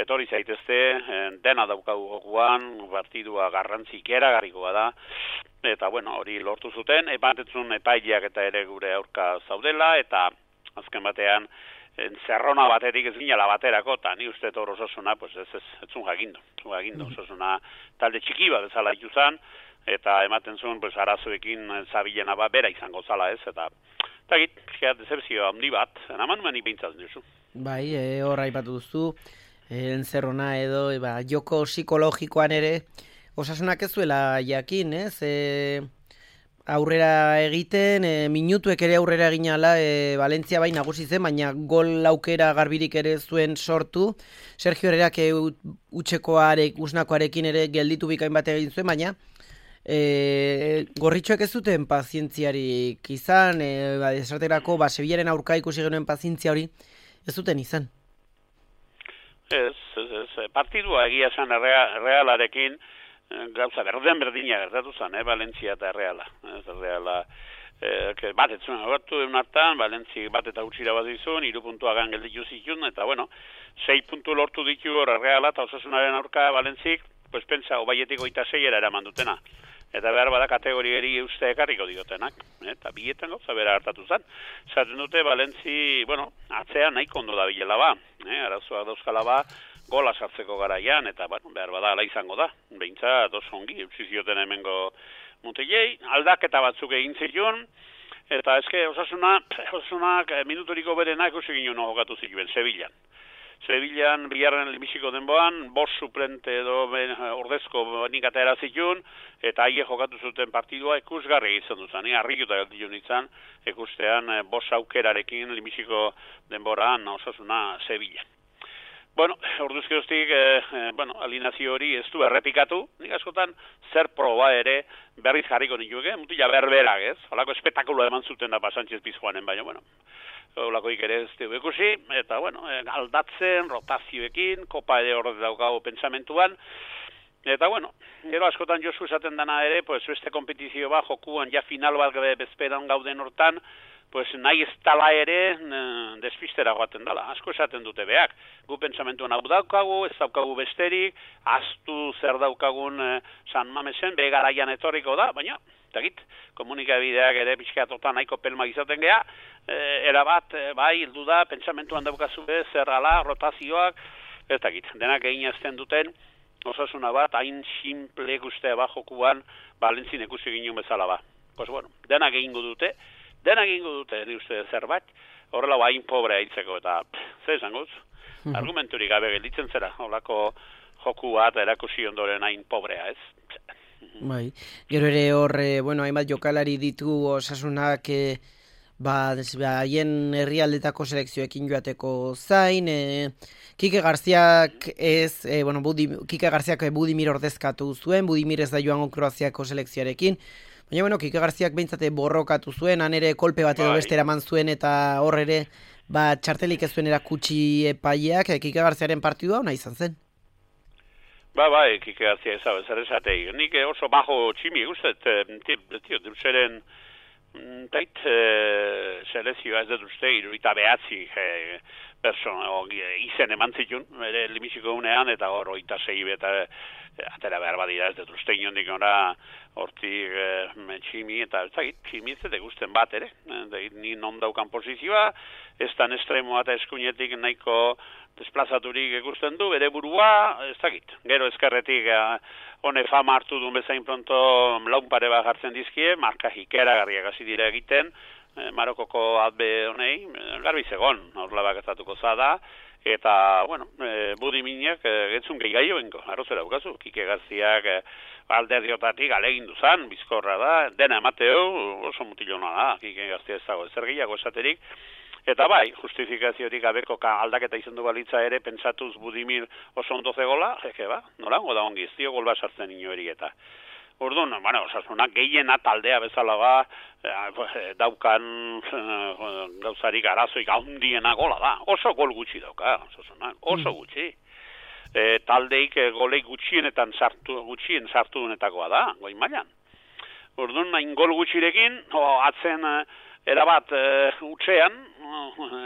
etorri zaitezte, e, dena daukagu jokuan, partidua garrantzik eragarrikoa da, eta bueno, hori lortu zuten, ebatetzun epaileak eta ere gure aurka zaudela, eta azken batean, zerrona baterik ez ginela baterako, eta ni uste hor Osasuna, pues ez ez, ez zun jakindu, zun jakindu, Osasuna talde txiki bat bezala ituzan, eta ematen zuen, pues arazoekin zabilena bat bera izango zala ez, eta eta git, decepzio handi bat, enaman mani behintzatzen duzu. Bai, e, hor aipatu duzu, e, zerrona edo, e, ba, joko psikologikoan ere, Osasunak ez zuela jakin, ez? E, aurrera egiten, e, minutuek ere aurrera eginala, e, Valentzia bai nagusi zen, baina gol aukera garbirik ere zuen sortu. Sergio Herrerak e, utxekoarek, usnakoarekin ere gelditu bikain bat egin zuen, baina e, gorritxoek ez zuten pazientziarik izan, e, ba, esaterako, ba, Sevillaren aurka ikusi genuen pazientzia hori, ez zuten izan. Ez, ez, ez, partidua egia zen Realarekin, gauza berden berdina gertatu zen, eh, Valentzia eta Reala. Ez, Reala, eh, bat ez zuen agortu egun hartan, Valentzi bat eta utxira bat izun, iru puntuagan gelditu zitun, eta bueno, sei puntu lortu ditu hor Reala eta Osasunaren aurka Valentzik, pues pentsa, obaietik oita seiera eraman dutena. Eta behar bada kategoriari uste ekarriko diotenak, eh, eta bietan gauza bera hartatu zen. Zaten dute, Valentzi, bueno, atzea nahiko ondo da bilela ba, eh, arazoak dauzkala ba, gola sartzeko garaian, eta bueno, behar bada ala izango da. Beintza, dos ongi, utzi zioten hemengo mutilei, aldaketa batzuk egin zituen, eta eske Osasuna, Osasunak minuturiko berenak ikusi ginen jokatu zituen, Sevillan. Sevillan, bigarren lehenbiziko denboan, bost suplente edo ben, ordezko nik atera zituen, eta aie jokatu zuten partidua ikusgarri izan duzan, ni harrikuta galditu nintzen, ikustean bost aukerarekin lehenbiziko denboran Osasuna Sevillan. Bueno, orduzkioztik, eh, eh, bueno, alineazio hori ez du errepikatu, nik askotan zer proba ere berriz jarriko nituke, mutila berberak, ez? Holako espetakulo eman zuten da Sánchez Pizjuanen, baina, bueno, holakoik ere ez dugu ikusi, eta, bueno, aldatzen, rotazioekin, kopa ere horret daukago pentsamentuan, eta, bueno, gero askotan Josu esaten dana ere, pues, beste kompetizio bat, jokuan, ja final bat bezperan gauden hortan, pues nahi ez tala ere despistera joaten dela, asko esaten dute beak. Gu pentsamentuan hau daukagu, ez daukagu besterik, aztu zer daukagun eh, San Mamesen, begaraian etorriko da, baina, takit, komunikabideak ere pixkatotan nahiko pelma izaten geha, eh, erabat, eh, bai, hildu da, pentsamentuan daukazu ez, zerrala, rotazioak, ez takit, denak egin azten duten, osasuna bat, hain simple guztea ba jokuan, Valentzin ikusi ginen bezala ba. Pues bueno, denak egingo dute, denak egingo dute, ni uste zerbait, horrela hain pobrea hitzeko, eta ze esangoz, mm-hmm. argumenturik gabe gelditzen zera, horlako joku bat erakusi ondoren hain pobrea, ez? Bai, gero ere horre, bueno, hainbat jokalari ditu osasunak, e, ba, haien herrialdetako selekzioekin joateko zain, e, Kike Garziak ez, e, bueno, Budi, Kike Garziak Budimir ordezkatu zuen, Budimir ez da joango Kroaziako selekzioarekin, baina, bueno, Kike Garziak behintzate borrokatu zuen, han ere kolpe bat edo beste eraman zuen, eta hor ere, ba, txartelik ez zuen erakutsi epaileak, e, Kike Garziaren partidua hona izan zen. Ba, ba, Kike Garzia ezabe, zer esatei. Nik oso bajo tximi guztet, tio, duzeren, tait, e, selezioa ez dut uste, iruita behatzi, e, persona, izen eman zitun, ere limisiko unean, eta hor oita sei beta, atera behar badira ez dut uste inondik ora, hortik e, tximi, eta ez dakit, tximi ez dut gusten bat ere, e, ni non daukan posizioa, ez tan estremoa eta eskuinetik nahiko desplazaturik ikusten du, bere burua, ez dakit, gero ezkerretik, hone fama hartu duen bezain pronto laun pare bat jartzen dizkie, marka hikera garriak hasi dira egiten, Marokoko albe honei, garbi zegon, horrela baketatuko zada, eta, bueno, e, Budiminek e, getzun gehi gaioenko, arrozera bukazu, Kike Garziak e, alderdiotatik alegin duzan, bizkorra da, dena emateo, oso mutilona da, Kike Garzia ez dago, ezer gehiago esaterik, eta bai, justifikaziorik gabeko aldaketa izan du balitza ere, pentsatuz Budimir oso ondo zegola, eke ba, nolango da ongi, ez dio gol bat sartzen inoeri eta. Orduan, bueno, osasunak gehiena taldea bezala ba, eh, daukan eh, gauzarik arazoik handiena gola da. Oso gol gutxi dauka, osasunak, oso gutxi. E, taldeik e, goleik gutxienetan sartu, gutxien sartu dunetakoa da, goi mailan. Orduan, hain gol gutxirekin, o, atzen e, erabat e, utxean,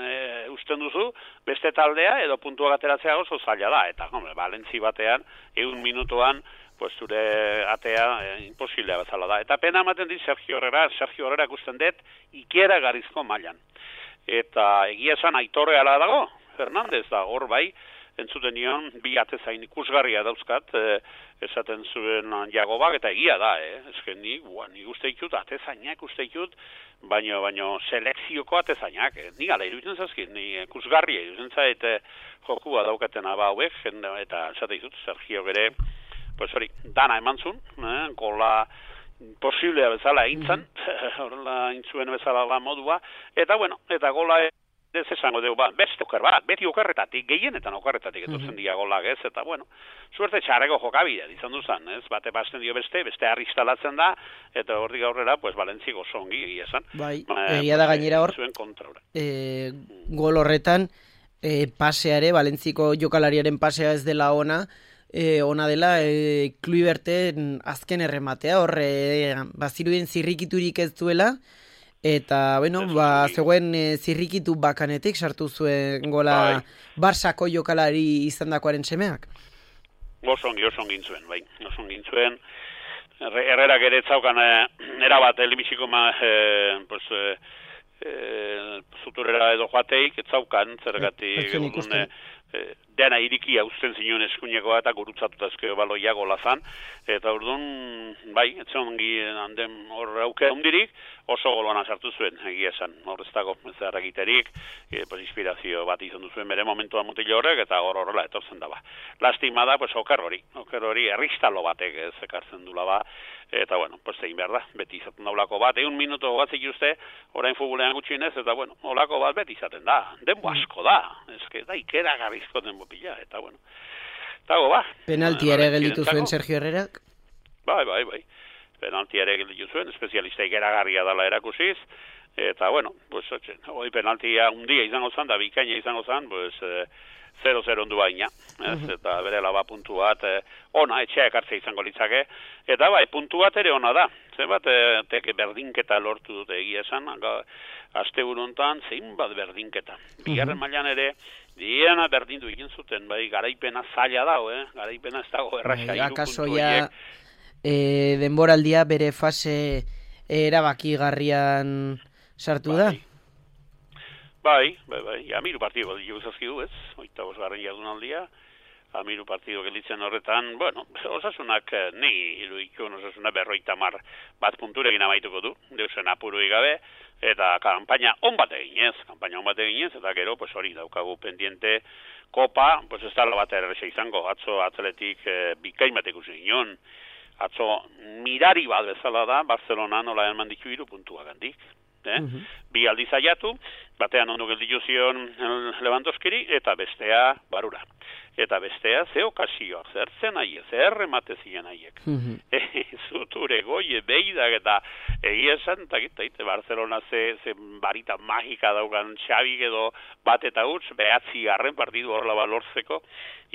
e, usten duzu, beste taldea edo puntuak ateratzea oso zaila da. Eta, hombre, Valentzi batean, egun minutuan, pues zure atea eh, imposiblea bezala da. Eta pena ematen dit Sergio Herrera, Sergio Herrera ikusten dut ikiera garizko mailan. Eta egia esan Aitorre ala dago, Fernandez da, hor bai, entzuten nion, bi atezain ikusgarria dauzkat, eh, esaten zuen Jagobak, eta egia da, eh? Ezken ni, bua, nik uste ditut, atezainak uste ditut, baino, baino selekzioko atezainak, eh? Ni gala iruditzen zazkin, ni ikusgarria iruditzen zait eh, jokua daukatena ba hauek, eta esate ditut, Sergio gere, pues hori, dana eman zuen, eh, gola posiblea bezala eintzan, horrela intzuen bezala la modua, eta bueno, eta gola ez esango dugu, ba, beste oker bat, beti okerretatik, gehienetan okerretatik etortzen dira golak ez, eta bueno, suerte txarreko jokabidea izan duzan, ez, bate basten dio beste, beste arristalatzen da, eta hortik aurrera, pues, Valentzik oso ongi egia esan. Bai, egia da gainera hor, e, gol horretan, e, paseare, Valentziko jokalariaren pasea ez dela ona, E, ona dela, e, Kluiberten azken errematea, hor, e, bazirudien zirrikiturik ez duela, eta, bueno, ba, zegoen e, zirrikitu bakanetik sartu zuen gola bai. Barsako jokalari izandakoaren semeak. Osongi, osongi zuen, bai, osongi zuen. Herrerak ere etzaukan, e, erabat, elibiziko ma, e, pues, e, e, zuturera edo joateik, etzaukan, zergatik, e, E, dena irikia uzten zinuen eskuinekoa eta gurutzatutazkeo baloia golazan, eta orduan, bai, etzen ongi handen hor auke hundirik, oso golona sartu zuen, egia esan, hor ez dago zer egiterik, e, pues, inspirazio bat izan duzuen bere momentua mutilo horrek, eta hor horrela etortzen daba. Lastima da, pues, oker hori, oker hori, erristalo batek ez ekartzen dula ba, eta, bueno, pues egin behar da, beti izaten da olako bat, egun minuto batzik uste, orain futbolean gutxinez, eta, bueno, olako bat beti izaten da, denbo asko da, ezke, da, ikera garrizko denbo pila, eta, bueno, eta, go, ba. Penalti ere gelditu zuen Sergio Herrerak? Bai, bai, bai, penalti ere gelditu zuen, espezialista ikeragarria dela erakusiz, eta, bueno, pues, hoi penaltia undia izango zan, da bikaina izango zan, pues, zero zero ondu baina, ez, eta bere laba puntu bat, eh, ona, etxea ekartzea izango litzake, eta bai, puntu bat ere ona da, zenbat, eh, teke berdinketa lortu dute egia esan, aste buruntan, zein bat berdinketa. Bigarren mailan ere, diena berdindu egin zuten, bai, garaipena zaila dago, eh, garaipena ez dago, erraxa, iru akaso puntu ja, horiek. e, denboraldia bere fase erabakigarrian sartu da? Bai, bai, bai, amiru partido ditu zazkidu, ez, oita bosgarren jardunaldia, amiru partido gelitzen horretan, bueno, osasunak, ni iruditzen osasuna berroita mar bat punturekin amaituko du, deusen apurui gabe, eta kampaina on bat eginez, kampaina on bat eginez, eta gero, pues hori daukagu pendiente, kopa, pues ez dala bat erresa izango, atzo atletik eh, bikain bat ikusi ginen, atzo mirari bat bezala da, Barcelona nola eman ditu iru puntua gandik. Eh? Uh-huh. Bi aldiz aiatu, batean ondo gelditu zion Lewandowskiri, eta bestea barura. Eta bestea ze okasioak, zer zen aie, zer remate ziren aiek. Uh-huh. E, zuture goie, beidak eta egia esan, eta gita, Barcelona ze, ze barita magika daukan Xabi edo bat eta huts, behatzi garren partidu horrela balortzeko,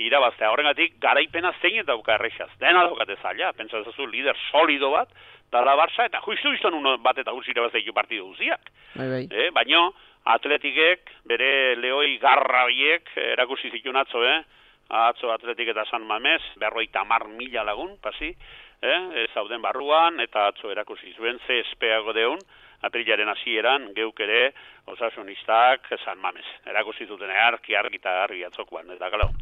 irabaztea. Horrengatik, garaipena zein eta dauka errexaz. Dena daukate zaila, pentsatzen zu, lider solido bat, dala Barça, eta juistu izan uno bat eta huts irabazteiko partidu guziak. Bai, bai. Eh, baino, atletikek, bere lehoi garra biek, erakusi zituen atzo, eh? Atzo atletik eta San Mamés, berroita mar mila lagun, pasi, eh? Zauden barruan, eta atzo erakusi zuen, ze espeago deun, aprilaren hasieran geuk ere osasunistak San Mamés. Erakusi zuten argi, argi eta argi atzokoan, eta galo.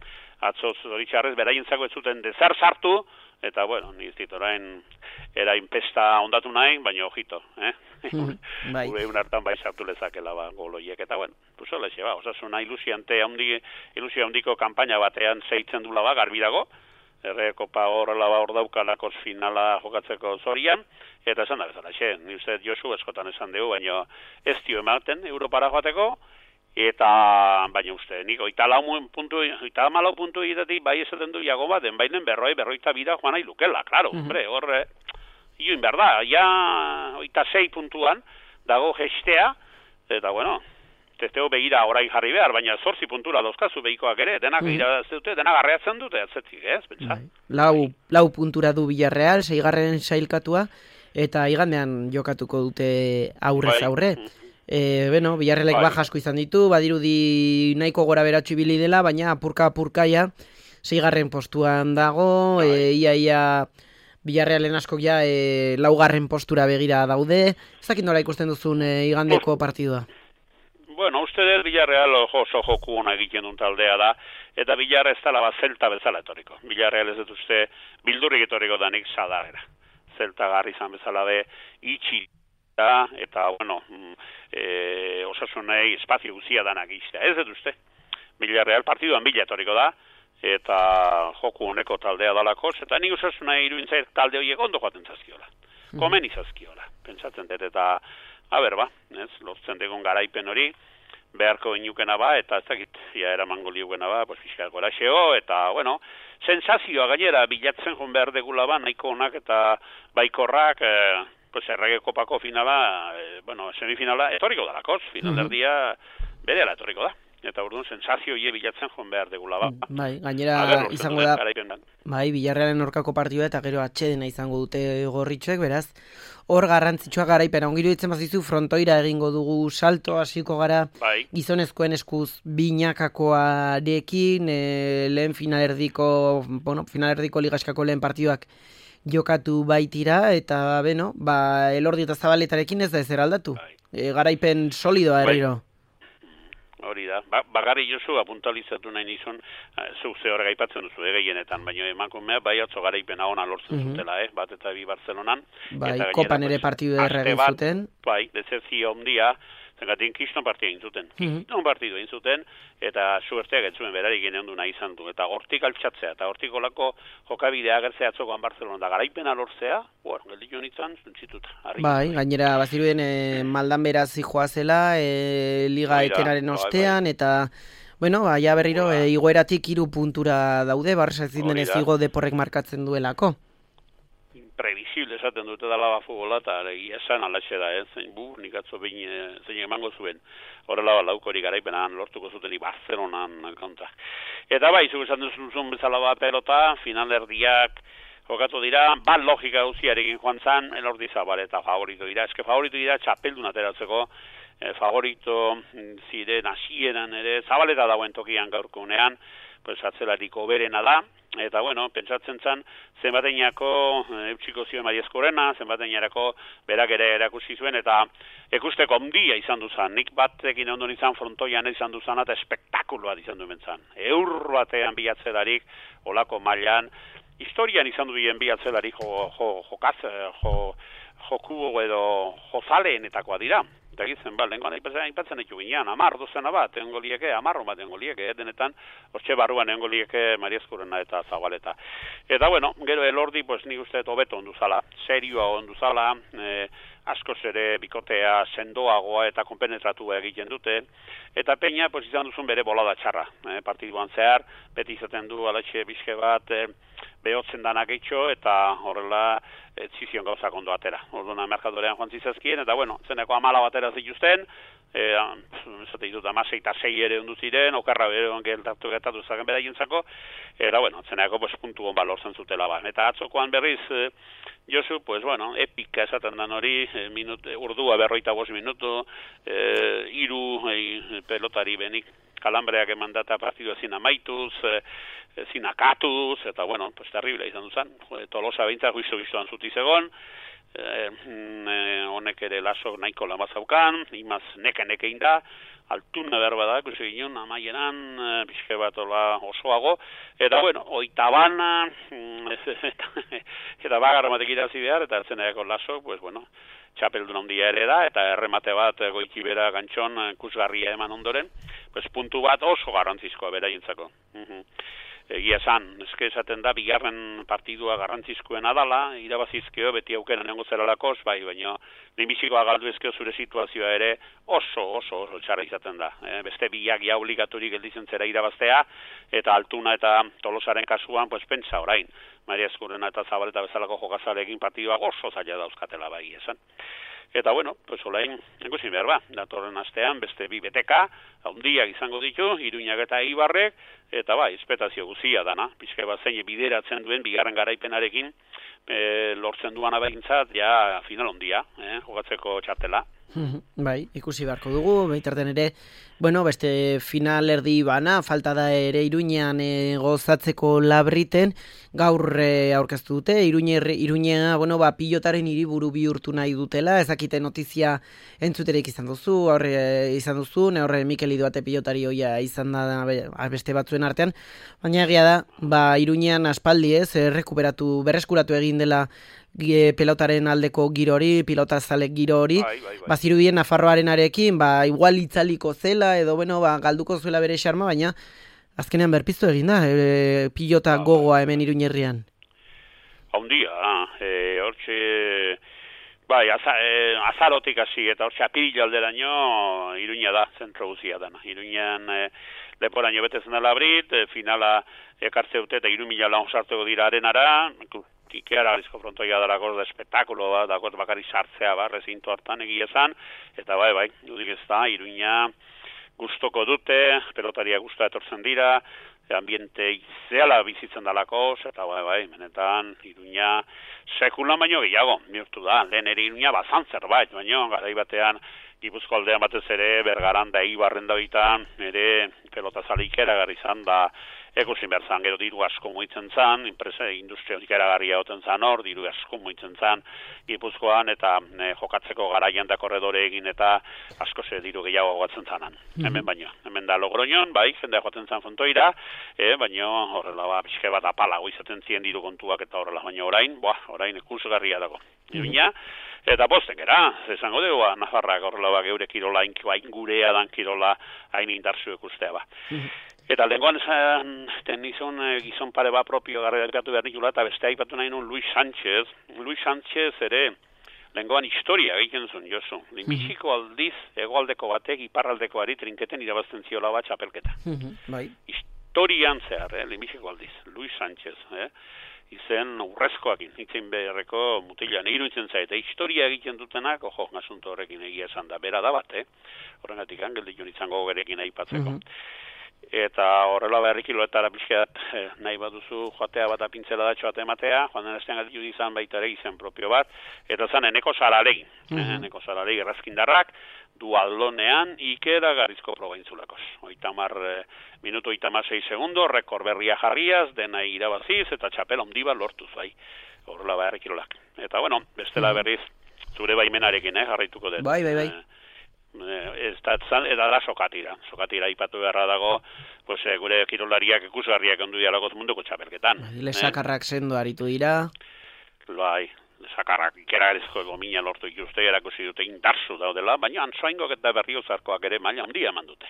Atzo zoritxarrez, beraientzako ez zuten dezer sartu, eta, bueno, ni ez dit orain erain pesta ondatu nahi, baina ojito, eh? Bai. Gure un hartan bai sartu lezakela ba, goloiek, eta, bueno, pues hola xe, ba, osasuna ilusiante handi, ilusio handiko kanpaina batean zeitzen dula ba, garbi dago, erre kopa horrela ba hor daukalako finala jokatzeko zorian, eta esan da bezala, xe, ni uste Josu eskotan esan dugu, baina ez dio ematen Europara joateko, eta baina uste, nik oita lau puntu, oita malau puntu egitetik bai esaten du jago bat, den bainen berroi, berroita bira joan nahi lukela, klaro, uh-huh. hombre, horre, ioin berda, ja oita sei puntuan dago gestea, eta bueno, testeo begira orain jarri behar, baina zortzi puntura dauzkazu behikoak ere, denak uh-huh. irabazi dute, denak garreatzen dute, atzetzik, ez, pentsa? Lau, lau puntura du Villarreal, seigarren sailkatua, eta igandean jokatuko dute aurrez aurre. Bai. E, bueno, Villarrealek baja asko izan ditu, badirudi nahiko gora beratxu ibili dela, baina apurka-apurkaia seigarren postuan dago, e, ia ia Villarrealen askok ja e, laugarren postura begira daude. Ez dakit nola ikusten duzun e, igandeko partidua? Bueno, uste dut Villarreal oso joku ona egiten duen taldea da, eta Villarreal ez dela bat zelta bezala etoriko. Villarreal ez dut uste bildurrik etoriko danik sadarera. Zelta garri izan bezala be, itxi eta, bueno, e, osasunei espazio guzia danak iztea. Ez dut uste. Villarreal partiduan bila etoriko da, eta joku honeko taldea dalako, eta nik osasunei iruintzait talde horiek ondo joaten zazkiola. Komen izazkiola. Pentsatzen dut, eta, haber ba, ez, lortzen degun garaipen hori, beharko inukena ba, eta ez dakit, ja eramango liukena ba, pues fiskal goraxeo, eta, bueno, sensazioa gainera bilatzen joan behar degula ba, nahiko onak eta baikorrak, eh, pues errege kopako finala, eh, bueno, semifinala, etorriko dalakoz, finalerdia berela etorriko da. Eta orduan sensazio hie bilatzen joan behar degula ba. Bai, gainera izango da, bai, Villarrealen aurkako partidua eta gero atxedena izango dute gorritxoek, beraz, hor garrantzitsua garaipena. Ongiru ditzen bazizu, frontoira egingo dugu salto, hasiko gara, bai. Gizonezkoen eskuz binakakoarekin, e, lehen finalerdiko, bueno, finalerdiko ligaskako lehen partiduak jokatu baitira, eta, beno, ba, Elordi eta Zabaletarekin ez da ezer aldatu. Bai. E, garaipen solidoa erriro. Bai. Hori da, ba, bagarri Josu apuntalizatu nahi nizun, zuk ze horrega ipatzen duzu egienetan, baina emankumea bai atzo garaipena ona lortzen uh-huh. zutela, eh? Bat eta bi Barcelonan. Bai, eta kopan ere partidu erregin zuten. Bai, dezezio ondia, Zergatik kiston partia egin zuten. Kiston partidu egin zuten, eta suerteak ez zuen berarik ginen du nahi izan du. Eta hortik altxatzea, eta hortik olako jokabidea agertzea atzokoan Barcelona da garaipena lortzea, bueno, gelditu nintzen, zuntzituta. Bai, gainera, baziruden e, maldan beraz zijoazela, e, liga Oira, etenaren bai, ostean, bai. eta, bueno, baia berriro, e, igoeratik hiru puntura daude, Barça ezin denez igo deporrek markatzen duelako. Previsible esaten dute dala ba futbola, eta egia esan alaxe da, eh? Zein bu, nik atzo behin zein emango zuen, horrela ba laukori garaipenan lortuko zuten Barcelonan konta. Eta bai, zugu esan duzun bezala ba pelota, finalerdiak jokatu dira, bat logika gauziarekin joan zan, elordi zabal eta favorito dira, eske favorito dira txapeldun ateratzeko, eh, favorito ziren hasieran ere, zabaleta dagoen tokian gaurkunean, pues atzelariko berena da, eta bueno, pentsatzen zan, zenbateinako e, eutxiko zioen Marieskorena, zenbateinarako berak ere erakusi zuen, eta ekusteko ondia izan duzan, nik batekin ondon izan frontoian izan duzan, eta espektakuloa izan duen zan. Eur batean biatzelarik, olako mailan, historian izan duen biatzelarik jo, jo, jokaz, jo, joku edo jozaleenetakoa dira. Eta gizen, ba, lehenkoan aipatzen ditu ginean, amar dozena bat, egongo lieke, amarro bat egongo lieke, denetan, hortxe barruan egongo lieke Marieskurena eta Zabaleta. Eta, bueno, gero elordi, pues, nik uste hobeto onduzala, serioa onduzala, eh, askoz ere bikotea sendoagoa eta konpenetratua egiten dute, eta peina, pues, izan duzun bere bolada txarra, eh, partiduan zehar, beti izaten du alatxe bizke bat, eh, behotzen danak eitxo, eta horrela ez zizion gauzak ondo atera. Orduan merkadorean joan zizazkien, eta bueno, zeneko amala batera zituzten, e, zate ditut amasei eta sei ere ondu ziren, okarra bere ongeltatu getatu zaken beraientzako, eta bueno, zeneko pues, puntu hon balortzen zutela ba. Eta atzokoan berriz, e, Josu, pues bueno, epika esaten dan hori, e, minut, urdua berroita bost minutu, e, iru e, pelotari benik, kalambreak emandata partidu ezin amaituz, e, ezin akatuz, eta bueno, pues terrible izan duzan. Tolosa behintzak guizu gizuan zutizegon, honek e, ere lasok nahiko lan bazaukan, imaz neke-neke inda, altuna berba da, ikusi ginen, amaieran, e, pixke bat osoago, eta bueno, oita bana, eta, eta bagarra batek irazi behar, eta ertzeneako lasok, pues bueno, txapeldun handia ere da, eta erremate bat goiti bera gantxon kusgarria eman ondoren, pues puntu bat oso garrantzizkoa beraientzako. Uh-huh. Egia esan, eske esaten da, bigarren partidua garrantzizkoen adala, irabazizkeo, beti aukera nengo zeralakoz, bai, baina nimizikoa galdu ezkeo zure situazioa ere oso, oso, oso txarra izaten da. E, beste biak ja obligaturik gelditzen zera irabaztea, eta Altuna eta Tolosaren kasuan, pues pentsa orain, Marieskurena eta Zabaleta bezalako jokazalekin partidua oso zaila dauzkatela bai esan. Eta bueno, pues olain, ikusi behar ba, datorren astean beste bi beteka, handiak izango ditu, Iruñak eta Ibarrek, eta bai, espetazio guzia dana, pixka bat zein bideratzen duen, bigarren garaipenarekin, e, lortzen duan abegintzat, ja final handia, eh, jokatzeko txartela. Bai, ikusi beharko dugu, baitarten ere, bueno, beste final erdi bana, falta da ere Iruñean e, gozatzeko Labriten, gaur e, aurkeztu dute, Iruñea, bueno, ba, pilotaren hiriburu bihurtu nahi dutela, ezakite notizia entzuterik izan duzu, horre e, izan duzu, ne horre Mikel Idoate pilotari hoia izan da beste batzuen artean, baina egia da, ba, Iruñean aspaldi ez, errekuperatu, berreskuratu egin dela pelotaren aldeko giro hori, pilotazalek giro hori, bai, bai, bai. Bazirudien Nafarroaren arekin, ba, igual itzaliko zela, edo, bueno, ba, galduko zuela bere xarma, baina azkenean berpiztu egin da, e, pilota ba, gogoa hemen Iruñerrian. Haundia, e, hortxe, bai, aza, e, azarotik hasi, eta hortxe apirila alderaino Iruña da, zentro guzia dana. Iruñan e, leporaino betezen da Labrit, e, finala ekartze dute eta iru mila lan sartuko dira arenara, Ikeara galizko frontoia darako da espetakulo bat, dagoz bakari sartzea ba, rezinto hartan egia esan, eta bai, bai, dudik ez da, Iruña gustoko dute, pelotaria gustoa etortzen dira, ambiente izeala bizitzen dalako, eta bai, bai, menetan, Iruña sekulan baino gehiago, bihurtu da, lehen ere Iruña bazan zerbait, baino, garai batean, Gipuzko aldean batez ere, Bergaran da Ibarren da bitan, ere pelotazale ikeragarri izan da, ekusin behar zan, gero diru asko muitzen zan, enpresa industria ikeragarria oten zan hor, diru asko muitzen zan Gipuzkoan, eta e, jokatzeko garaian da korredore egin eta asko ze diru gehiago gatzen zanan. Mm-hmm. Hemen baino, hemen da Logroñon, bai, jendea joaten zan fontoira, e, baino horrela ba, pixke bat apalago izaten zien diru kontuak eta horrela, baino orain, boa, orain ikusgarria dago. Baina, eta posten gara, esango dugu, ba, Nafarrak horrela ba, geure kirola, hain gurea dan kirola, hain indartzu ikustea ba. Eta lehenkoan esan, ten izan gizon pare ba propio garreratu behar nikula, eta beste aipatu nahi nun Luis Sánchez. Luis Sánchez ere, lehenkoan historia egiten zuen, Josu. Lehenbiziko aldiz, egoaldeko batek, iparraldekoari trinketen irabazten ziola bat txapelketa. Bai. Historian zehar, eh, lehenbiziko aldiz, Luis Sánchez, eh. Izen urrezkoakin, itzen beharreko mutilan, iruditzen zaite, historia egiten dutenak, ojo, asunto horrekin egia esan da, bera da bat, eh? Horregatik, angeldikun izango gerekin aipatzeko. Mm -hmm. Eta horrela berrikiloetara pixkat eh, nahi baduzu joatea bat apintzela datxo bat ematea, joan den estean gatitu izan baita ere izen propio bat, eta zan eneko zaralegin, mm -hmm. eneko zaralegin errazkindarrak, dualdonean ikera garizko probaintzulakos. Oitamar eh, minuto oitamar sei segundo, rekor berria jarriaz, dena irabaziz, eta txapela ondiba lortuz, bai, horrela berrikilolak. Eta bueno, bestela berriz, zure baimenarekin, eh, jarraituko dut. Bai, bai, bai. Eh, ez da zan, eta da sokatira. Sokatira ipatu beharra dago, pues, eh, gure kirolariak ikusgarriak ondu dialagoz munduko txapelketan. Lesakarrak eh? sendo aritu dira. Bai, lesakarrak ikeragarezko gomina lortu ikuste, erakusi dute indarzu daudela, baina antsoaingok eta berriozarkoak ere maila handia eman dute.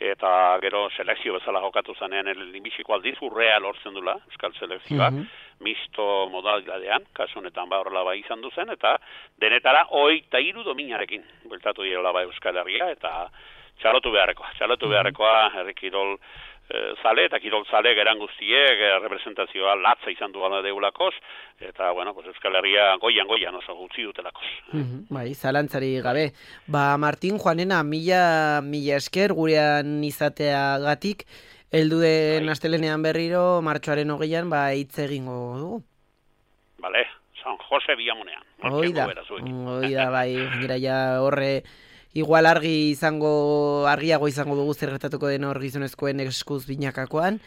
Eta gero selekzio bezala jokatu zanean elinbiziko aldiz urrea lortzen dula, euskal selekzioak, mm -hmm. misto modalidadean, kasu honetan ba horrela bai izan duzen, eta denetara hogeita hiru dominarekin bueltatu direla ba Euskal Herria, eta txalotu beharrekoa, txalotu beharrekoa herri kirol e, zale, eta kirol zale geran guztiek, e, representazioa latza izan du gana deulakoz, eta bueno, pues Euskal Herria goian goian oso gutzi dutelakoz. Mm -hmm. Bai, zalantzari gabe. Ba, Martin Juanena, mila, mila esker gurean izateagatik, heldu den astelenean berriro, martxoaren hogeian, ba, hitz egingo dugu. Bale, San Jose Biamunean. Oida, oida, bai, gira ja horre, igual argi izango, argiago izango dugu zer gertatuko den hor gizonezkoen eskuz binakakoan,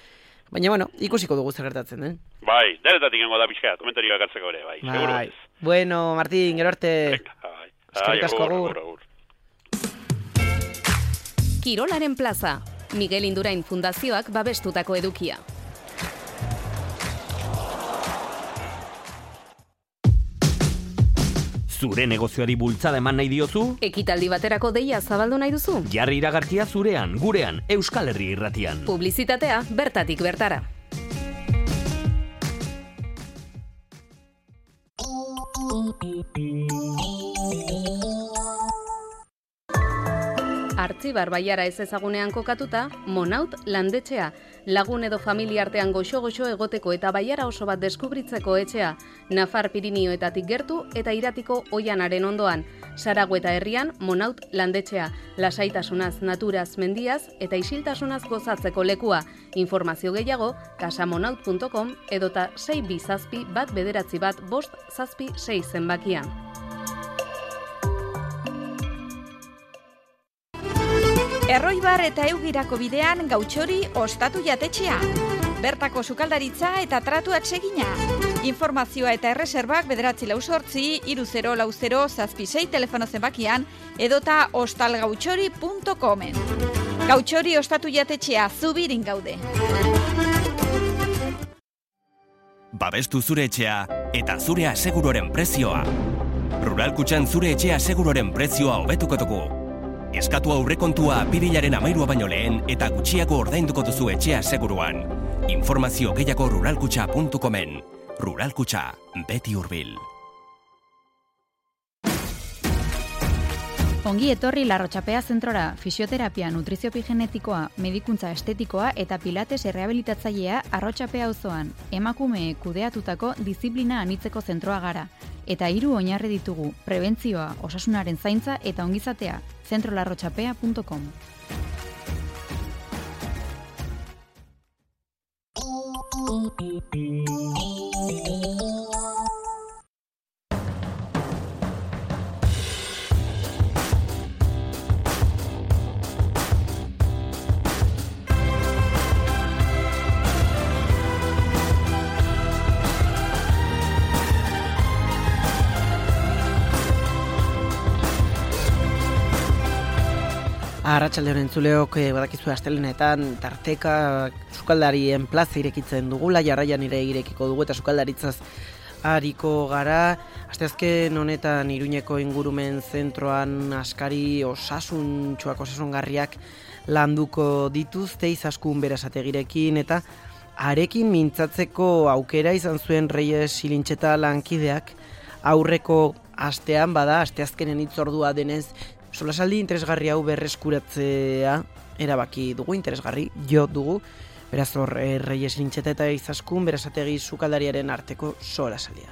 baina, bueno, ikusiko dugu zer gertatzen den. Bai, deretatik gengo da pixka, komentarioak hartzeko ere, bai, seguro. Bai. Bueno, Martin, gero arte. Bai. Eskerrik asko agur. Kirolaren plaza, Miguel Indurain Fundazioak babestutako edukia. Zure negozioari bultzada eman nahi diozu? Ekitaldi baterako deia zabaldu nahi duzu? Jarri iragarkia zurean, gurean, Euskal Herri irratian. Publizitatea bertatik bertara. Artzibar Baiara ez ezagunean kokatuta, Monaut landetxea, lagun edo familia artean goxo-goxo egoteko eta Baiara oso bat deskubritzeko etxea, Nafar Pirinioetatik gertu eta Iratiko Oianaren ondoan, Saragüeta herrian Monaut landetxea, lasaitasunaz, naturaz, mendiaz eta isiltasunaz gozatzeko lekua. Informazio gehiago, casamonaut punto com edota sei bi zazpi bat bederatzi bat bost zazpi sei zenbakian. Erroibar eta Eugirako bidean Gautxori ostatu jatetxea. Bertako sukaldaritza eta tratuak segina. Informazioa eta erreserbak bederatzi lau sortzi, iru zero lau zero zazpi sei telefono zenbakian edota ostalgautxori punto comen. Gautxori ostatu jatetxea, Zubirin gaude. Babestu zure etxea eta zure aseguroren prezioa. Rural Kutxan zure etxea aseguroren prezioa hobetuko dugu. Eskatu aurrekontua apirilaren amairua baino lehen eta gutxiago ordainduko duzu etxea seguruan. Informazio gehiago ruralkutxa punto comen. Rural Kutxa, beti hurbil. Ongi etorri Larrotxapea zentrora, fisioterapia, nutriziopi genetikoa, medikuntza estetikoa eta pilates errehabilitatzailea Arrotxapea auzoan. Emakume kudeatutako diziplina anitzeko zentroa gara. Eta hiru oinarri ditugu, prebentzioa, osasunaren zaintza eta ongizatea, zentro larrotxapea punto com. Arratsaldeon entzuleok, badakizu astelenetan tarteka sukaldarien plaza irekitzen dugula, jarraian ire irekiko dugu eta sukaldaritzaz ariko gara. Asteazken honetan Iruñeko ingurumen zentroan askari osasuntsuak, osasungarriak landuko dituzte Izaskun Berasategirekin, eta harekin mintzatzeko aukera izan zuen Reyes Ilintxeta lankideak aurreko astean, bada asteazkenen hitzordua denez, solasaldi interesgarri hau berreskuratzea erabaki dugu, interesgarri jo dugu. Beraz hor, e, Reyes Ilintxeta eta Izaskun Berasategi sukaldariaren arteko solasaldia.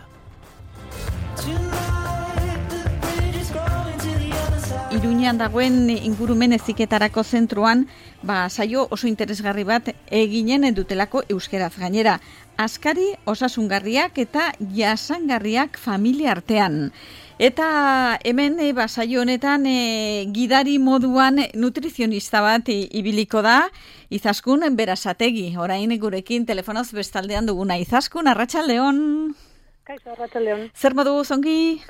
Iruñean dagoen ingurumen heziketarako zentroan, ba, saio oso interesgarri bat eginen dutelako euskeraz gainera. Askari osasungarriak eta jasangarriak familia artean. Eta hemen e, ba, saio honetan e, gidari moduan nutrizionista bat e, ibiliko da, Izaskun Berasategi. Orain gurekin telefonoz bestaldean duguna. Izaskun, arratsaldeon. Kaixo, arratsaldeon. Zer modu zongi?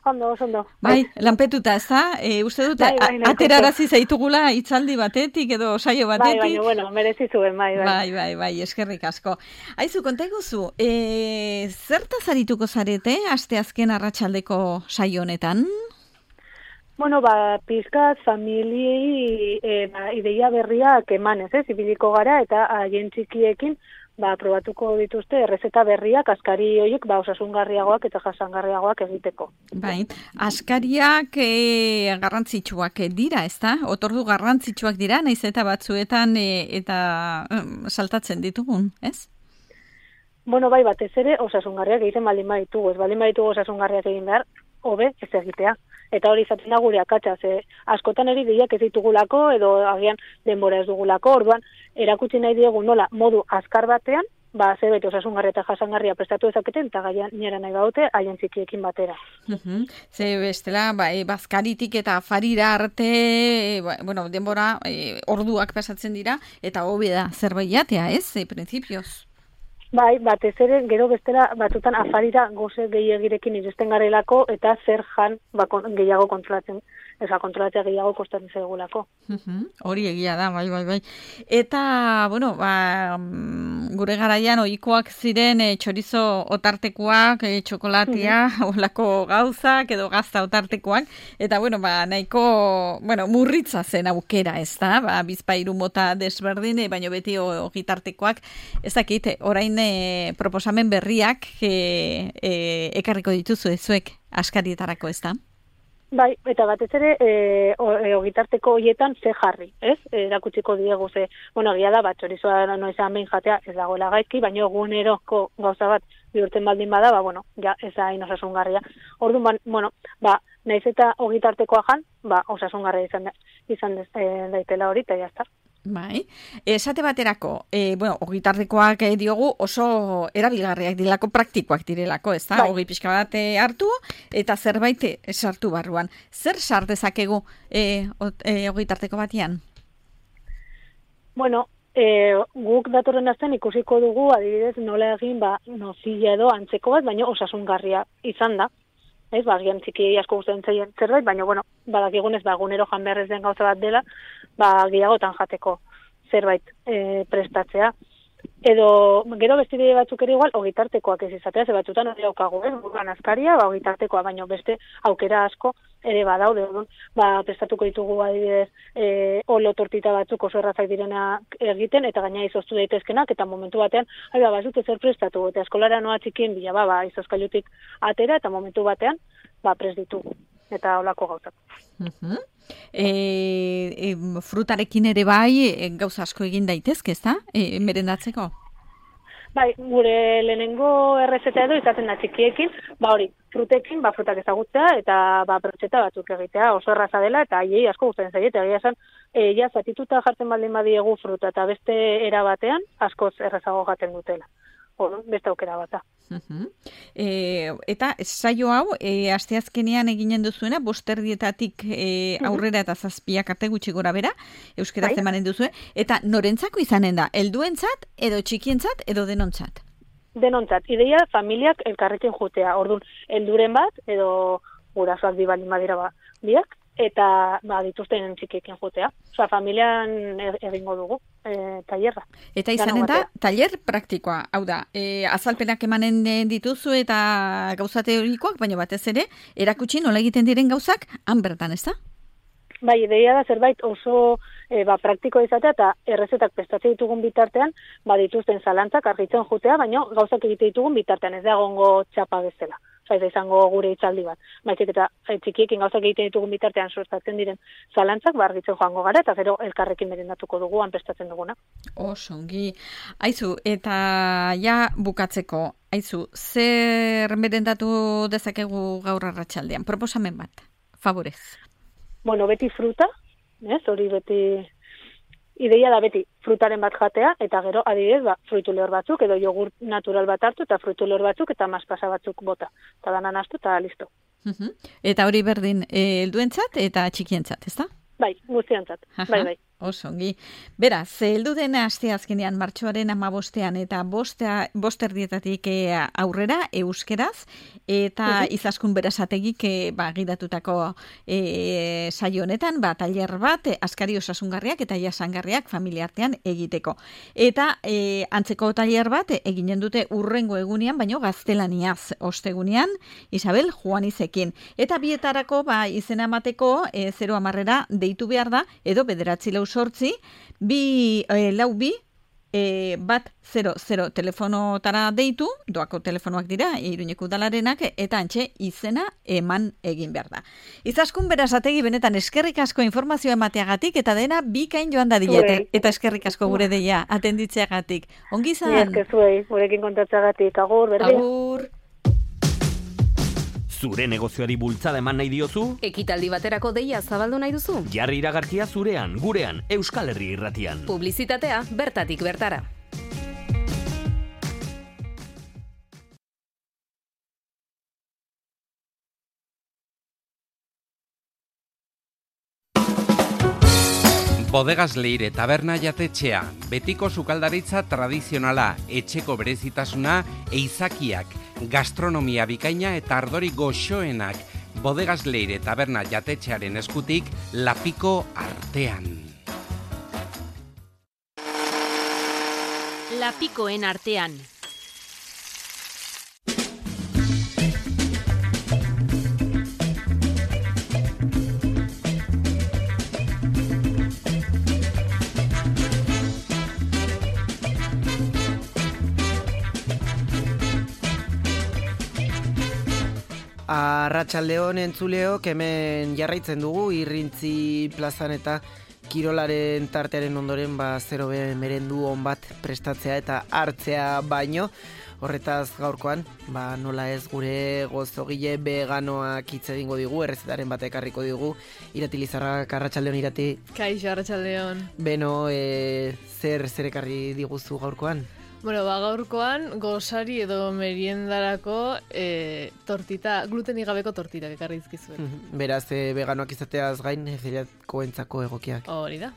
Ondo, ondo. Bai, lanpetuta, ez da? E, uste dute, bai, bai, aterarazi zaitugula itzaldi batetik edo saio batetik. Bai, baina, bueno, merezi zuen, bai, bai. Bai, bai, bai, eskerrik asko. Aizu, konta eguzu, e, zertaz arituko zarete asteazken arratsaldeko saio honetan? Bueno, ba, pizkat familiei e, ba, ideia berriak emanez, ez, ibiliko gara, eta haien txikiekin, ba, probatuko dituzte errezeta berriak askari horiek ba, osasungarriagoak eta jasangarriagoak egiteko. Bai, askariak e, garrantzitsuak dira, ez da? Otordu garrantzitsuak dira, naiz eta batzuetan e, eta um, saltatzen ditugun, ez? Bueno, bai, batez ere osasungarriak egiten baldin baditugu, ez baldin baditugu osasungarriak egin behar, hobe ez egitea. Eta hori izaten da gure akatsa, ze askotan eri deiak ez ditugulako edo agian denbora ez dugulako, orduan erakutsi nahi diegu nola modu azkar batean, ba zerbait osasungarria eta jasangarria prestatu dezaketen eta gainera nahi baute haien txikiekin batera. Uh-huh. Ze bestela, ba, e, bazkaritik eta afarira arte, e, ba, bueno, denbora e, orduak pasatzen dira eta hobe da zerbait jatea, ez? E, printzipioz. Bai, batez ere, gero bestela batutan afarira goze gehiagirekin iristen garelako eta zer jan ba, gehiago kontrolatzen, eza kontrolatzea gehiago kostatzen zaigulako. Uh-huh. Hori egia da, bai, bai, bai. Eta, bueno, ba, gure garaian ohikoak ziren e, txorizo otartekoak, e, txokolatia, uh-huh. olako gauzak edo gazta otartekoak, eta, bueno, ba, nahiko, bueno, murritza zen aukera, ez da, ba, bizpairu mota desberdin, e, baino beti ogitartekoak, ez dakit, orain e, proposamen berriak e, e, ekarriko dituzu ezuek askarietarako, ez da? Bai, eta batez ere e, ogitarteko hoietan ze jarri, ez? Erakutsiko diegu ze, bueno, egia da, bat txorizoa noizean behin jatea ez dagoela gaizki, baina eguneroko gauza bat bihurtzen baldin bada, ba, bueno, ja, ez da hain osasungarria. Orduan, ba, bueno, ba, naiz eta ogitartekoa jan, ba, osasungarria izan, da, izan dez, e, daitela hori, eta jazta. Bai, esate baterako, e, bueno, ogitartekoak e, diogu oso erabilgarriak dilako, praktikoak direlako, ez da? Bai. Ogi pixka bat e, hartu eta zerbait sartu barruan. Zer sar dezakegu e, e, ogitarteko batian? Bueno, e, guk datorren astean ikusiko dugu, adibidez, nola egin, ba, nozilla edo antzeko bat, baina osasungarria izan da. Ez, ba, gian txiki asko gustatzen zaien zerbait, baina, bueno, badakigunez, ba, egunero jan behar ez den gauza bat dela, ba, gehiagotan jateko zerbait e, prestatzea. Edo, gero bestide batzuk ere igual, ogitartekoak ez izatea, ze batzutan hori daukagu, ez, buruan askaria, ba, ogitartekoa, baina beste aukera asko ere badaude, orduan, ba, prestatuko ditugu adibidez, e, olo tortita batzuk oso errazak direna egiten, eta gaina izoztu daitezkenak, eta momentu batean, ai, ba, bazute zer prestatu, eta eskolara noa txikien bila, ba, ba, izozkailutik atera, eta momentu batean, ba, prest ditugu, eta holako gauzak. Uh-huh. E, e, frutarekin ere bai e, gauza asko egin daitezke, ez da? E, merendatzeko? Bai, gure lehenengo errezeta edo izaten da txikiekin, ba hori, frutekin, ba frutak ezagutzea eta ba brotxeta batzuk egitea, oso erraza dela eta haiei asko gustatzen zaie, eta egia esan, e, ja zatituta jartzen baldin badiegu fruta eta beste era batean askoz errazago jaten dutela. Hor, beste aukera bata. Uh-huh. E, eta saio hau, e, asteazkenean eginen duzuena, bosterdietatik e, aurrera eta zazpiak arte gutxi gora bera, euskaraz bai. Emanen duzue, eta norentzako izanen da, helduentzat edo txikientzat edo denontzat? Denontzat, ideia familiak elkarrekin jutea, orduan, helduren bat edo gurasoak bi baldin badira ba, biak, eta ba, dituzten txikiekin jotea. Osa, familian egingo dugu e, tailerra. Eta izanen da, tailer praktikoa, hau da, e, azalpenak emanen dituzu eta gauza teorikoak, baina batez ere, erakutsi nola egiten diren gauzak, han bertan, ez da? Bai, ideia da zerbait oso e, ba, praktikoa izatea eta errezetak prestatzen ditugun bitartean, ba, dituzten zalantzak argitzen jutea, baina gauzak egite ditugun bitartean, ez da egongo txapa bezala. Osa, ez da izango gure hitzaldi bat. Baizik eta e, txikiekin gauzak egiten ditugun bitartean suertatzen diren zalantzak, ba, argitzen joango gara, eta gero elkarrekin merendatuko dugu, han prestatzen duguna. Oso, ongi. Aizu, eta ja bukatzeko, aizu, zer merendatu dezakegu gaur arratsaldean? Proposamen bat, favorez. Bueno, beti fruta, ez, hori beti, ideia da beti frutaren bat jatea, eta gero adibidez, ba, fruitu lehor batzuk, edo jogurt natural bat hartu, eta fruitu lehor batzuk, eta maspasa batzuk bota. Eta danan astu, eta listo. Uh-huh. Eta hori berdin, e, helduentzat eta txikientzat, ez da? Bai, guztientzat, bai, bai. Oso, ongi. Beraz, heldu den aste azkenean martxoaren hamabostean eta bostea, bosterdietatik aurrera euskeraz, eta uh-huh. izaskun berasategik e, ba, gidatutako e, saio honetan, ba, tailer bat, e, askari osasungarriak eta jasangarriak familiartean egiteko. Eta e, antzeko tailer bat e, eginen dute urrengo egunean, baino gaztelaniaz ostegunean, Isabel Juanizekin. Eta bietarako, ba, izena emateko e, zero hamarrera deitu behar da, edo bederatzi lau sortzi, bi, e, lau bi, e, bat zero zero telefonotara deitu, doako telefonoak dira, Iruñeko udalarenak, eta antxe izena eman egin behar da. Izaskun berazategi benetan eskerrik asko informazioa emateagatik, eta dena bikain joan da dilete, eta eskerrik asko gure deia, atenditzeagatik. Ongi zan? Ni eskezuei, gurekin kontatzeagatik, agur, berdin. Agur. Zure negozioari bultzada eman nahi diozu? Ekitaldi baterako deia zabaldu nahi duzu? Jarri iragarkia zurean, gurean, Euskal Herri Irratian. Publizitatea bertatik bertara. Bodegas Leire taberna jatetxea, betiko sukaldaritza tradizionala, etxeko berezitasuna, eizakiak, gastronomia bikaina eta ardori goxoenak. Bodegas Leire taberna jatetxearen eskutik, Lapiko artean. Lapikoen artean. Arratsaldeon entzuleok, hemen jarraitzen dugu Irrintzi plazan eta kirolaren tartearen ondoren ba zero be merendu on bat prestatzea eta hartzea baino. Horretaz gaurkoan, ba nola ez gure gozogile veganoak hitz egingo digu, errezetaren bat ekarriko digu. Irati Lizarrak, arratsaldeon Irati. Kaixo, arratsaldeon. Beno, e, zer zer ekarri diguzu gaurkoan? Bueno, ba, gaurkoan gozari edo meriendarako e, tortita, glutenik gabeko tortita ekarri dizkizuet. Beraz, e, veganoak izateaz gain, zeliakoentzako egokiak. Hori da.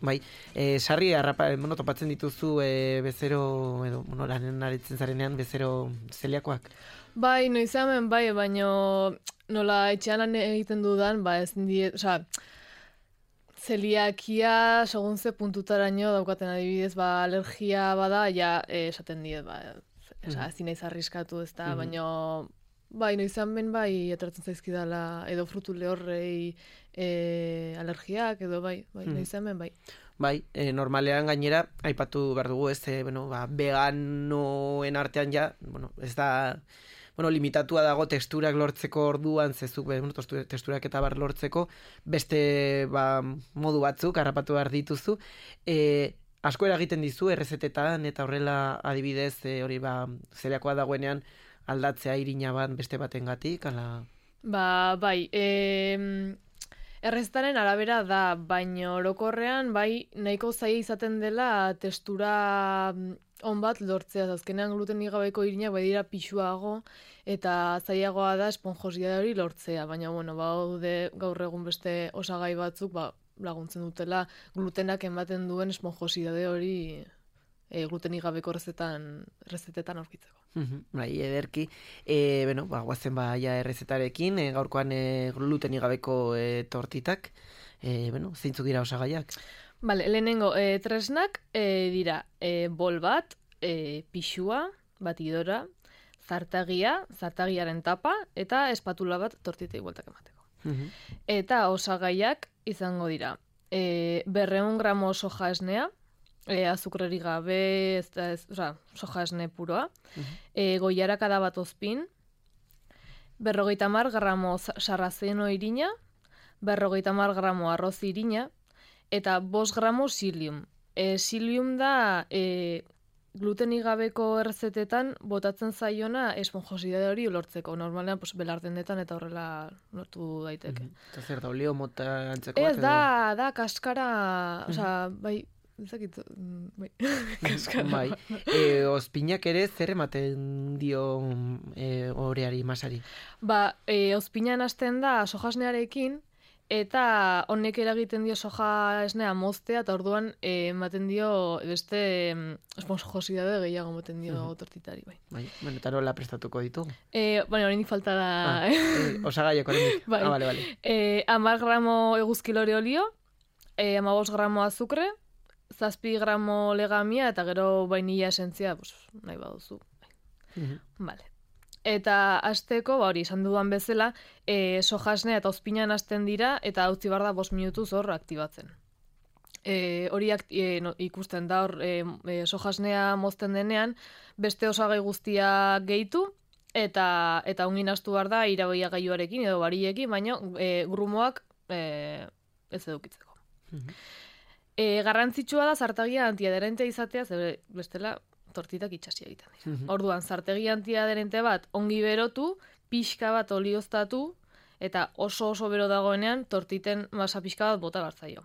Bai, e, sarri harrapa, bueno, topatzen dituzu e, bezero, edo, bueno, lanen aritzen zarenean, bezero zeliakoak? Bai, noizamen, bai, baino nola etxean lan egiten dudan, ba, ez diet, oza, zeliakia, segun ze puntutaraino daukaten adibidez, ba, alergia bada, ja, eh, esaten diet, ba, esa, ezin naiz arriskatu ez da, Mhm. baino, bai, noizan ben, bai, etortzen zaizkidala, edo frutu lehorrei eh, alergiak, edo bai, bai, Mhm. noizan ben, bai. Bai, e, normalean gainera, aipatu behar dugu ez, e, bueno, ba, veganoen artean ja, bueno, ez da, bueno, limitatua dago testurak lortzeko orduan, zezuk, bueno, testurak eta bar lortzeko, beste ba, modu batzuk, harrapatu behar dituzu. E, asko eragiten dizu, errezetetan, eta horrela adibidez, e, hori ba, zeliakoa dagoenean, aldatzea irina bat beste batengatik, ala... Ba, bai, e, erreztaren arabera da, baino orokorrean, bai, nahiko zaila izaten dela testura on bat lortzea, azkenean glutenik gabeko irinak bai dira pixuago, eta zailagoa da esponjosidade hori lortzea, baina, bueno, baude gaur egun beste osagai batzuk, ba, laguntzen dutela glutenak ematen duen esponjosidade hori e, glutenik gabeko errezetan, errezetetan aurkitzeko. Bai, ederki. E, bueno, ba, guazen ba, ja errezetarekin, e, gaurkoan e, glutenik gabeko e, tortitak. E, bueno, zeintzuk dira osagaiak? Bale, lehenengo e, tresnak e, dira e, bol bat, e, pixua, batidora, zartagia, zartagiaren tapa, eta espatula bat tortitei bueltak emateko. Eta osagaiak izango dira e, berreun gramo soja esnea, e, azukreri gabe, ez da, ez, oza, soja esne puroa, e, goiarakada bat ozpin, berrogeita hamar gramo sarrazeno irina, berrogeita hamar gramo arroz irina, eta bost gramo silium. E, silium da e, glutenik gabeko errezetetan botatzen zaiona esponjosidade hori lortzeko. Normalean pues, belardendetan eta horrela lortu daiteke. Eta zer da, olio mota antzeko? Ez, da, da, kaskara, osea, bai, ezakit, bai, kaskara. Bai, e, ozpinak ere zer ematen dio e, oreari, masari? Ba, e, ozpinan hasten da sojasnearekin, eta honek eragiten dio soja esnea moztea, eta orduan eh, ematen dio beste esponjosidade gehiago ematen dio uh-huh. tortitari, bai. Bai, bueno, eta nola prestatuko ditugu? Eh, bueno, oraindik falta da... Ah, eh, osagaiak oraindik. Bai. Ah, vale, vale. Eh, hamar gramo eguzkilore olio, eh, hamabost gramo azukre, zazpi gramo legamia, eta gero vainilla esentzia, pues, nahi baduzu. Uh-huh. Vale. Eta hasteko, ba hori, esan dudan bezala, e, sojasnea eta ozpinan hasten dira, eta utzi behar da bost minutuz hor aktibatzen. E, hori akti, e, no, ikusten da hor, e, e, sojasnea mozten denean, beste osagai guztia gehitu, eta eta ungin astu behar da iraboia gaiuarekin edo bariekin, baina e, grumoak e, ez edukitzeko. Uh-huh. E, garrantzitsua da zartagia antiaderentea izatea, ze bestela tortitak itxasi egiten dira. Uh-huh. Orduan, zartegi antiaderente bat ongi berotu, pixka bat olioztatu, eta oso oso bero dagoenean tortiten masa pixka bat bota bartzaio.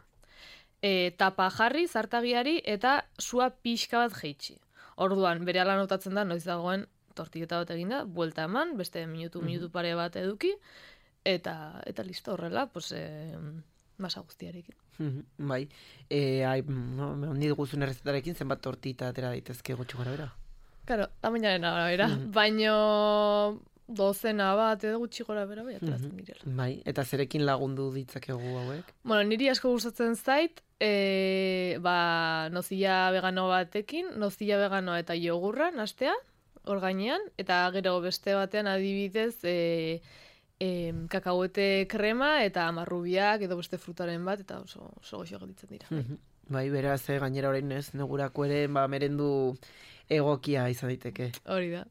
E, tapa jarri zartagiari eta sua pixka bat jeitsi. Orduan, berehala notatzen da, noiz dagoen tortiketa bat eginda, buelta eman, beste minutu, uh-huh. minutu pare bat eduki, eta eta listo horrela, pues, e, masa guztiarekin. Bai, e, ai, no, ondi duguzun errezetarekin zenbat tortita atera daitezke gutxi gara bera? Karo, tamainaren arabera, mm-hmm. baino dozena bat edo gutxi gora bera bai ateratzen mm-hmm. direla. Bai, eta zerekin lagundu ditzakegu hauek? Bueno, niri asko gustatzen zait, e, ba, nozilla vegano batekin, nozilla vegano eta jogurra nastea, hor gainean, eta gero beste batean adibidez, e, E, kakahuete krema eta marrubiak edo beste frutaren bat, eta oso, oso goxo gelditzen dira. Mm-hmm. Bai, beraz, eh, gainera orain ez, negurako ere, ba, merendu egokia izan daiteke. Hori da.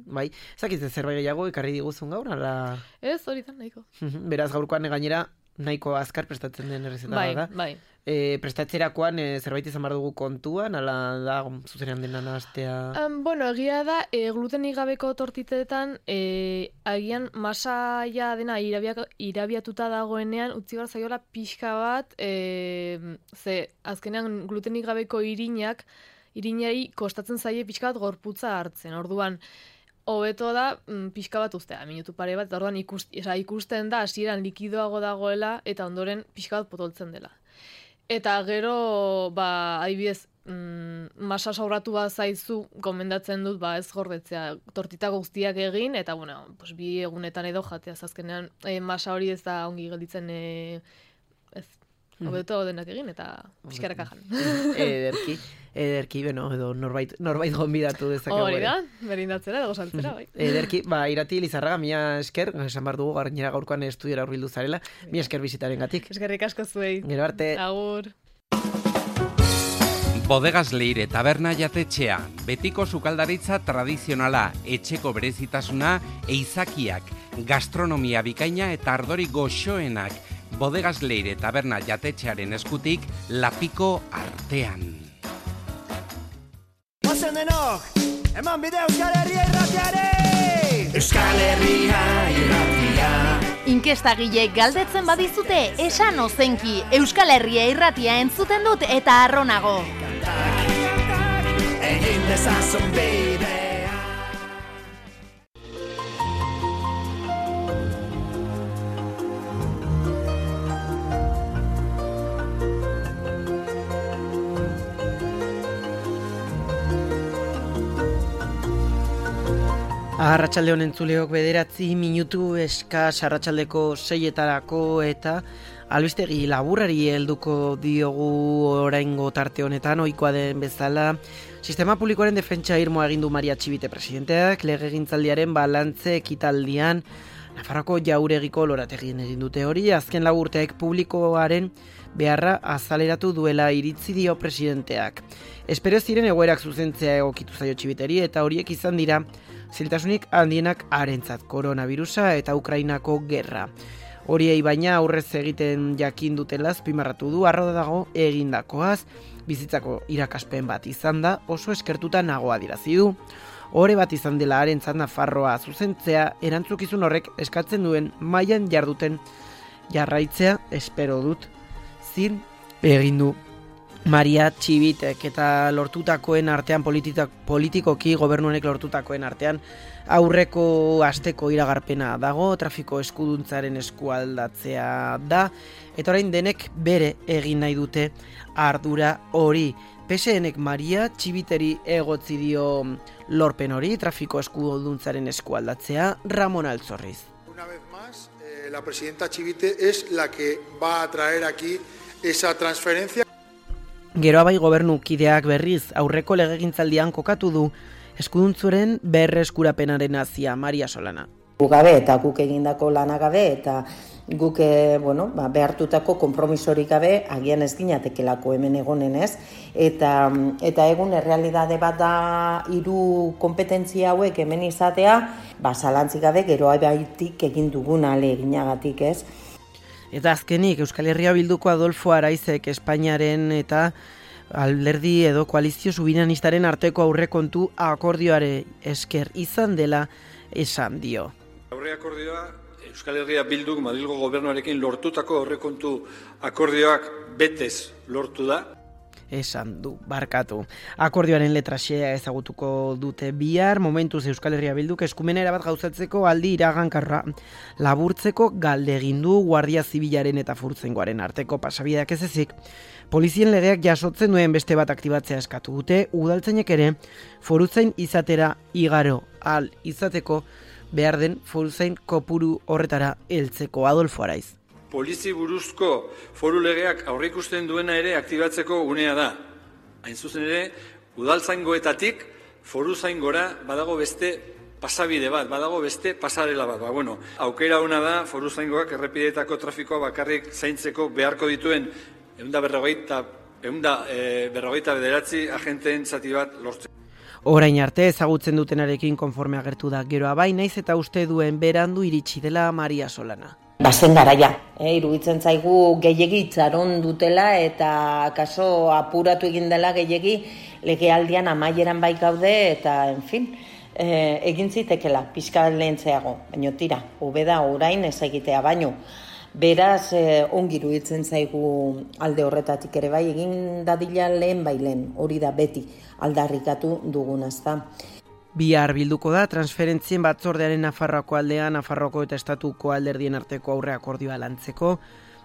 Bai, zakitze zerbait gehiago ekarri diguzun gaur, ala? Ez, hori da, nahiko. Beraz, gaurkoan gainera, nahiko azkar prestatzen den errezeta bai, da. Bai, e, prestatzerakoan e, zerbait izan behar dugu kontuan, ala da zuzenean dena nahastea? Um, bueno, egia da, e, glutenik gabeko tortitetan, e, agian masaia dena irabia, irabiatuta dagoenean, utzi behar zaiola pixka bat, e, ze azkenean glutenik gabeko irinak, irinai kostatzen zaie pixka bat gorputza hartzen, orduan, hobeto da mm, pixka bat uztea, minutu pare bat, eta orduan ikust, esa, ikusten da hasieran likidoago dagoela eta ondoren pixka bat potoltzen dela. Eta gero, ba, adibidez, mm, masa sauratu bat zaizu, gomendatzen dut, ba, ez gordetzea, tortita guztiak egin, eta, bueno, pues, bi egunetan edo jatea, azkenean e, masa hori ez da ongi gelditzen, e, ez, hobeto denak egin, eta pixkaraka jan. Ederki, ederki, beno, edo norbait, norbait gonbidatu dezakegu. Hori da, berindatzera, edo saltzera, bai. Ederki, ba, Irati Lizarraga, mila esker, esan behar dugu, gainera gaurkoan estudiora hurbildu zarela, mila esker bizitaren gatik. Eskerrik asko zuei. Gero arte. Agur. Bodegas Leire taberna jatetxea, betiko sukaldaritza tradizionala, etxeko berezitasuna, eizakiak, gastronomia bikaina eta ardori goxoenak, Bodegas Leire taberna jatetxearen eskutik, Lapiko artean. Ozen denok, eman bide Euskal Herria irratiare! Euskal Herria irratia. Inkestagileek galdetzen badizute, esan ozenki, Euskal Herria irratia entzuten dut eta arronago. Egin dezazun bidea. Arratsalde honen zuleok bederatzi minutu eskas arratsaldeko seietarako eta albistegi laburrari helduko diogu oraingo tarte honetan ohikoa den bezala. Sistema publikoaren defentsa irmoa egin du Maria Txibite presidenteak legegintzaldiaren balantze ekitaldian Nafarroko Jauregiko lorategien egin dute hori, azken lau urteek publikoaren beharra azaleratu duela iritzi dio presidenteak. Espero ziren egoerak zuzentzea egokitu zaio Txibiteri eta horiek izan dira ziltasunik handienak harentzat, koronavirusa eta Ukrainako gerra. Horiei baina aurrez egiten jakin dutela azpimarratu du arro dago egindakoaz, bizitzako irakaspen bat izan da, oso eskertuta nagoa dirazi du. Ore bat izan dela harentzat Nafarroa zuzentzea, erantzukizun horrek eskatzen duen mailan jarduten jarraitzea espero dut zin egin du Maria Txibitek eta lortutakoen artean politika, politikoki gobernuanek lortutakoen artean aurreko asteko iragarpena dago, trafiko eskuduntzaren eskualdatzea da, eta orain denek bere egin nahi dute ardura hori. P S Nek Maria Txibiteri egotzi dio lorpen hori, trafiko eskuduntzaren eskualdatzea, Ramon Altzorriz. Una vez más, eh, la presidenta Txibite es la que va a traer aquí esa transferencia. Geroa bai gobernukideak berriz aurreko legegintzaldian kokatu du eskuduntzuren berreskurapenaren hasia Maria Solana. Gabe eta guk egindako lana gabe eta guk bueno, ba, behartutako konpromisorik gabe agian ez ginatekelako hemen egonen ez. Eta, eta egun errealidade bat da hiru konpetentzia hauek hemen izatea, ba, zalantzik gabe geroa baitik egin dugun aleginagatik ez. Eta azkenik Euskal Herria Bilduko Adolfo Araizek Espainiaren eta alderdi edo koalizio subiranistararen arteko aurrekontu akordioare esker izan dela esan dio. Aurre akordioa Euskal Herria Bilduk Madrilgo gobernuarekin lortutako aurrekontu akordioak betez lortu da. Esan du, barkatu. Akordioaren letraxea ezagutuko dute bihar, momentuz Euskal Herria Bilduk eskumena erabat gauzatzeko aldi iragankarra laburtzeko galde egin du Guardia Zibilaren eta Furtzaingoaren arteko pasabideak ez ezik. Polizien legeak jasotzen duen beste bat aktibatzea eskatu dute, udaltzainek ere foruzain izatera igaro al izateko behar den foruzain kopuru horretara heltzeko. Adolfo Araiz. Polizi buruzko foru legeak aurreikusten duena ere aktibatzeko unea da. Hain zuzen ere, udaltzaingoetatik foruzaingora badago beste pasabide bat, badago beste pasarela bat. Ba, bueno, aukera ona da foruzaingoak errepideetako trafikoa bakarrik zaintzeko beharko dituen ehunda berrogeita, ehunda e, berrogeita bederatzi agenteen zati bat lortzen. Orain arte ezagutzen dutenarekin konforme agertu da geroa bai, naiz eta uste duen berandu iritsi dela Maria Solana. Bazen garaia, eh, iruditzen zaigu gehiegi itxaron dutela eta kaso apuratu egin dela gehiegi legealdian amaieran bai gaude eta, en fin, eh, egin zitekela pixka lehentzeago, baino tira, hobe da orain ez egitea baino. Beraz, eh, ongi iruditzen zaigu alde horretatik ere bai, egin dadila lehen bai lehen, hori da beti aldarrikatu dugunazta. Bihar bilduko da transferentzien batzordearen Nafarroako aldean, Nafarroako eta Estatuko alderdien arteko aurre akordioa lantzeko.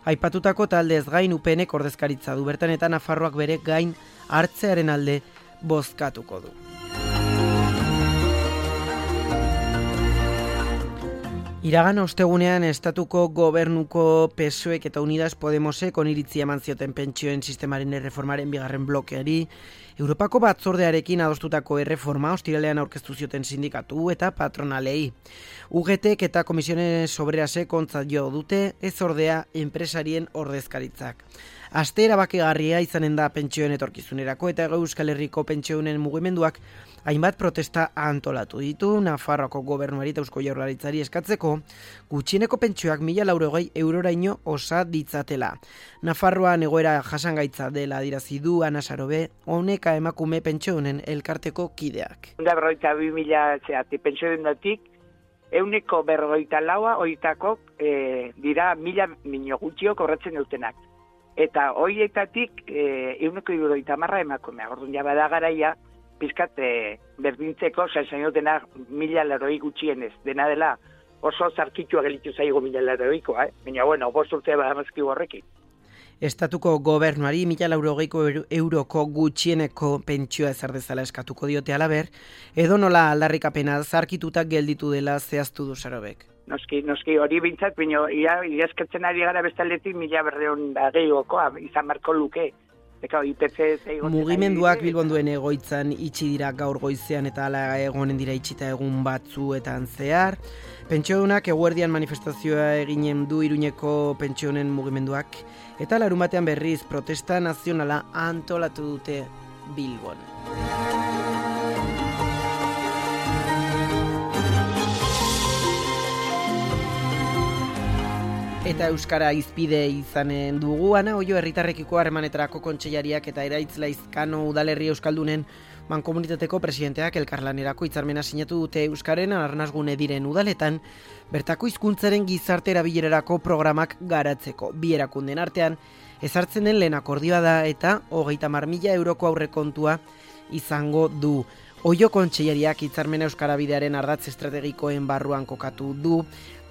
Aipatutako taldez gain U P Nek ordezkaritza du bertan eta Nafarroak bere gain hartzearen alde bozkatuko du. Iragan ostegunean Estatuko gobernuko P S O Ek eta Unidas Podemosek oniritzia eman zioten pentsioen sistemaren erreformaren bigarren blokeari, Europako batzordearekin adostutako erreforma ostiralean aurkeztu zioten sindikatu eta patronalei. U G Tek eta Komisiones Obrerasek ontzat jo dute, ez ordea enpresarien ordezkaritzak. Aste erabakigarria izanen da pentsioen etorkizunerako eta Euskal Herriko pentsioen mugimenduak hainbat protesta antolatu ditu Nafarroako gobernuari eta Eusko Jaurlaritzari eskatzeko gutxieneko pentsioak mila laurogei euroraino osa ditzatela. Nafarroan egoera jasangaitza dela adirazi du Ana Sarobe, honeka emakume pentsioen elkarteko kideak. Da berrogeita bi mila zeati pentsioengatik ehuneko berrogeita laua horietako e, dira mila mino gutxio kobratzen dutenak. Eta horietatik ehuneko hirurogeita hamar emakumea. Orduan ja bada garaia pizkat e, berdintzeko, zain dena mila laroi gutxienez. Dena dela oso zarkitua gelitu zaigo mila laroikoa, eh? Baina, bueno, bost urtea badamazki horrekin. estatuko gobernuari mila laurogeiko euroko gutxieneko pentsioa ezar dezala eskatuko diote halaber, edo nola aldarrikapena zarkituta gelditu dela zehaztu du Sarobek. Noski, noski, hori bintzat, bino, ia, ia eskatzen ari gara bestaletik mila berreun da gehiokoa, izan marko luke. Eka, I P C Mugimenduak Bilbon duen egoitzan itxi dira gaur goizean eta hala egonen dira itxita egun batzuetan zehar. Pentsiodunak eguerdian manifestazioa eginen du Iruñeko pentsionen mugimenduak eta larumatean berriz protesta nazionala antolatu dute Bilbon. Eta Euskara izpide izanen dugu, Ana Oio herritarrekiko harremanetarako kontseilariak eta Eraitz Laizkano udalerri euskaldunen mankomunitateko presidenteak elkarlanerako hitzarmena sinatu dute Euskaren arnasgune diren udaletan, bertako hizkuntzaren gizarte erabilerarako programak garatzeko. Bi erakunden artean, ezartzen den lehen akordioa da eta hogeita hamar mila euroko aurrekontua izango du. Oio kontseilariak hitzarmena Euskara bidearen ardatz estrategikoen barruan kokatu du,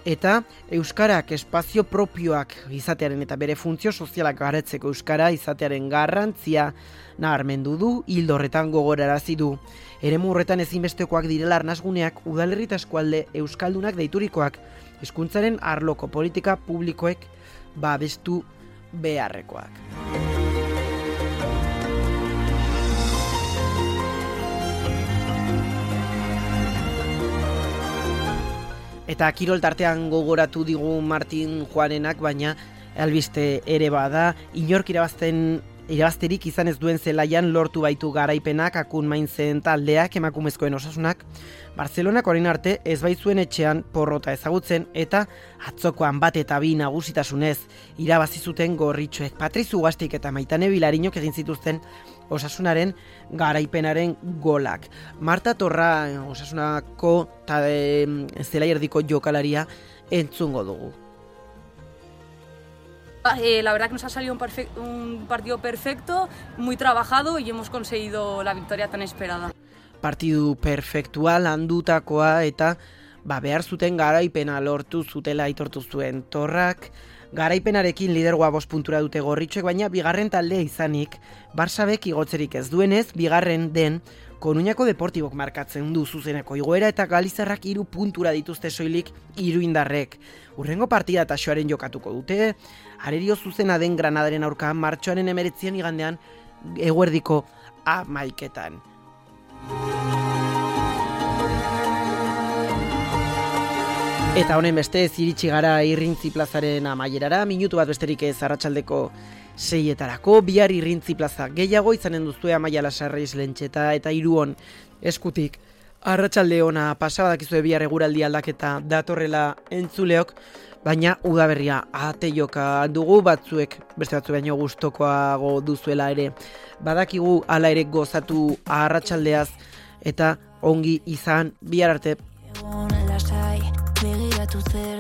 eta Euskarak espazio propioak izatearen eta bere funtzio sozialak garatzeko Euskara izatearen garrantzia nabarmendu du, hildo horretan gogorarazi du. Eremu horretan ezinbestekoak direla arnasguneak udalerri eta eskualde euskaldunak deiturikoak, hizkuntzaren arloko politika publikoek babestu beharrekoak. Eta kirol tartean gogoratu digu Martin Juanenak, baina albiste ere bada, inork irabazten irabazterik izan ez duen zelaian lortu baitu garaipenak akun maintzen taldeak emakumezkoen osasunak. Barcelonak orain arte ez baitzuen etxean porrota ezagutzen eta atzokoan bat eta bi nagusitasunez irabazi zuten gorritxoek. Patriz Ugaztik eta Maitane Bilarinok egin zituzten osasunaren garaipenaren golak. Marta Torra osasunako ta e, zelai erdiko jokalaria entzungo dugu. Eh, la verdad que nos ha salido un, perfect, un partido perfecto, muy trabajado y hemos conseguido la victoria tan esperada. Partidu perfektua landutakoa eta ba, behar zuten garaipena lortu zutela aitortu zuen Torrak. Garaipenarekin lidergoa bost puntura dute gorritxoek, baina bigarren taldea izanik, Barsabek igotzerik ez duenez, bigarren den Koruñako Deportibok markatzen du zuzeneko igoera eta Galizarrak hiru puntura dituzte soilik hiru indarrek. Urrengo partida taxoaren jokatuko dute, arerio zuzena den Granadaren aurka martxoaren emeretzian igandean eguerdiko hamaiketan. Eta honen beste iritsi gara Irrintzi plazaren amaierara, minutu bat besterik ez arratsaldeko seietarako, bihar Irrintzi plaza gehiago izanen duzue Amaia Lasarreiz Lentxeta eta Iruon eskutik. Arratsalde ona pasabadakizue bihar eguraldi aldaketa datorrela entzuleok, baina udaberria ate joka dugu, batzuek beste batzu baino gustokoago duzuela ere. Badakigu hala ere gozatu arratsaldeaz eta ongi izan bihar arte. Begiratu ze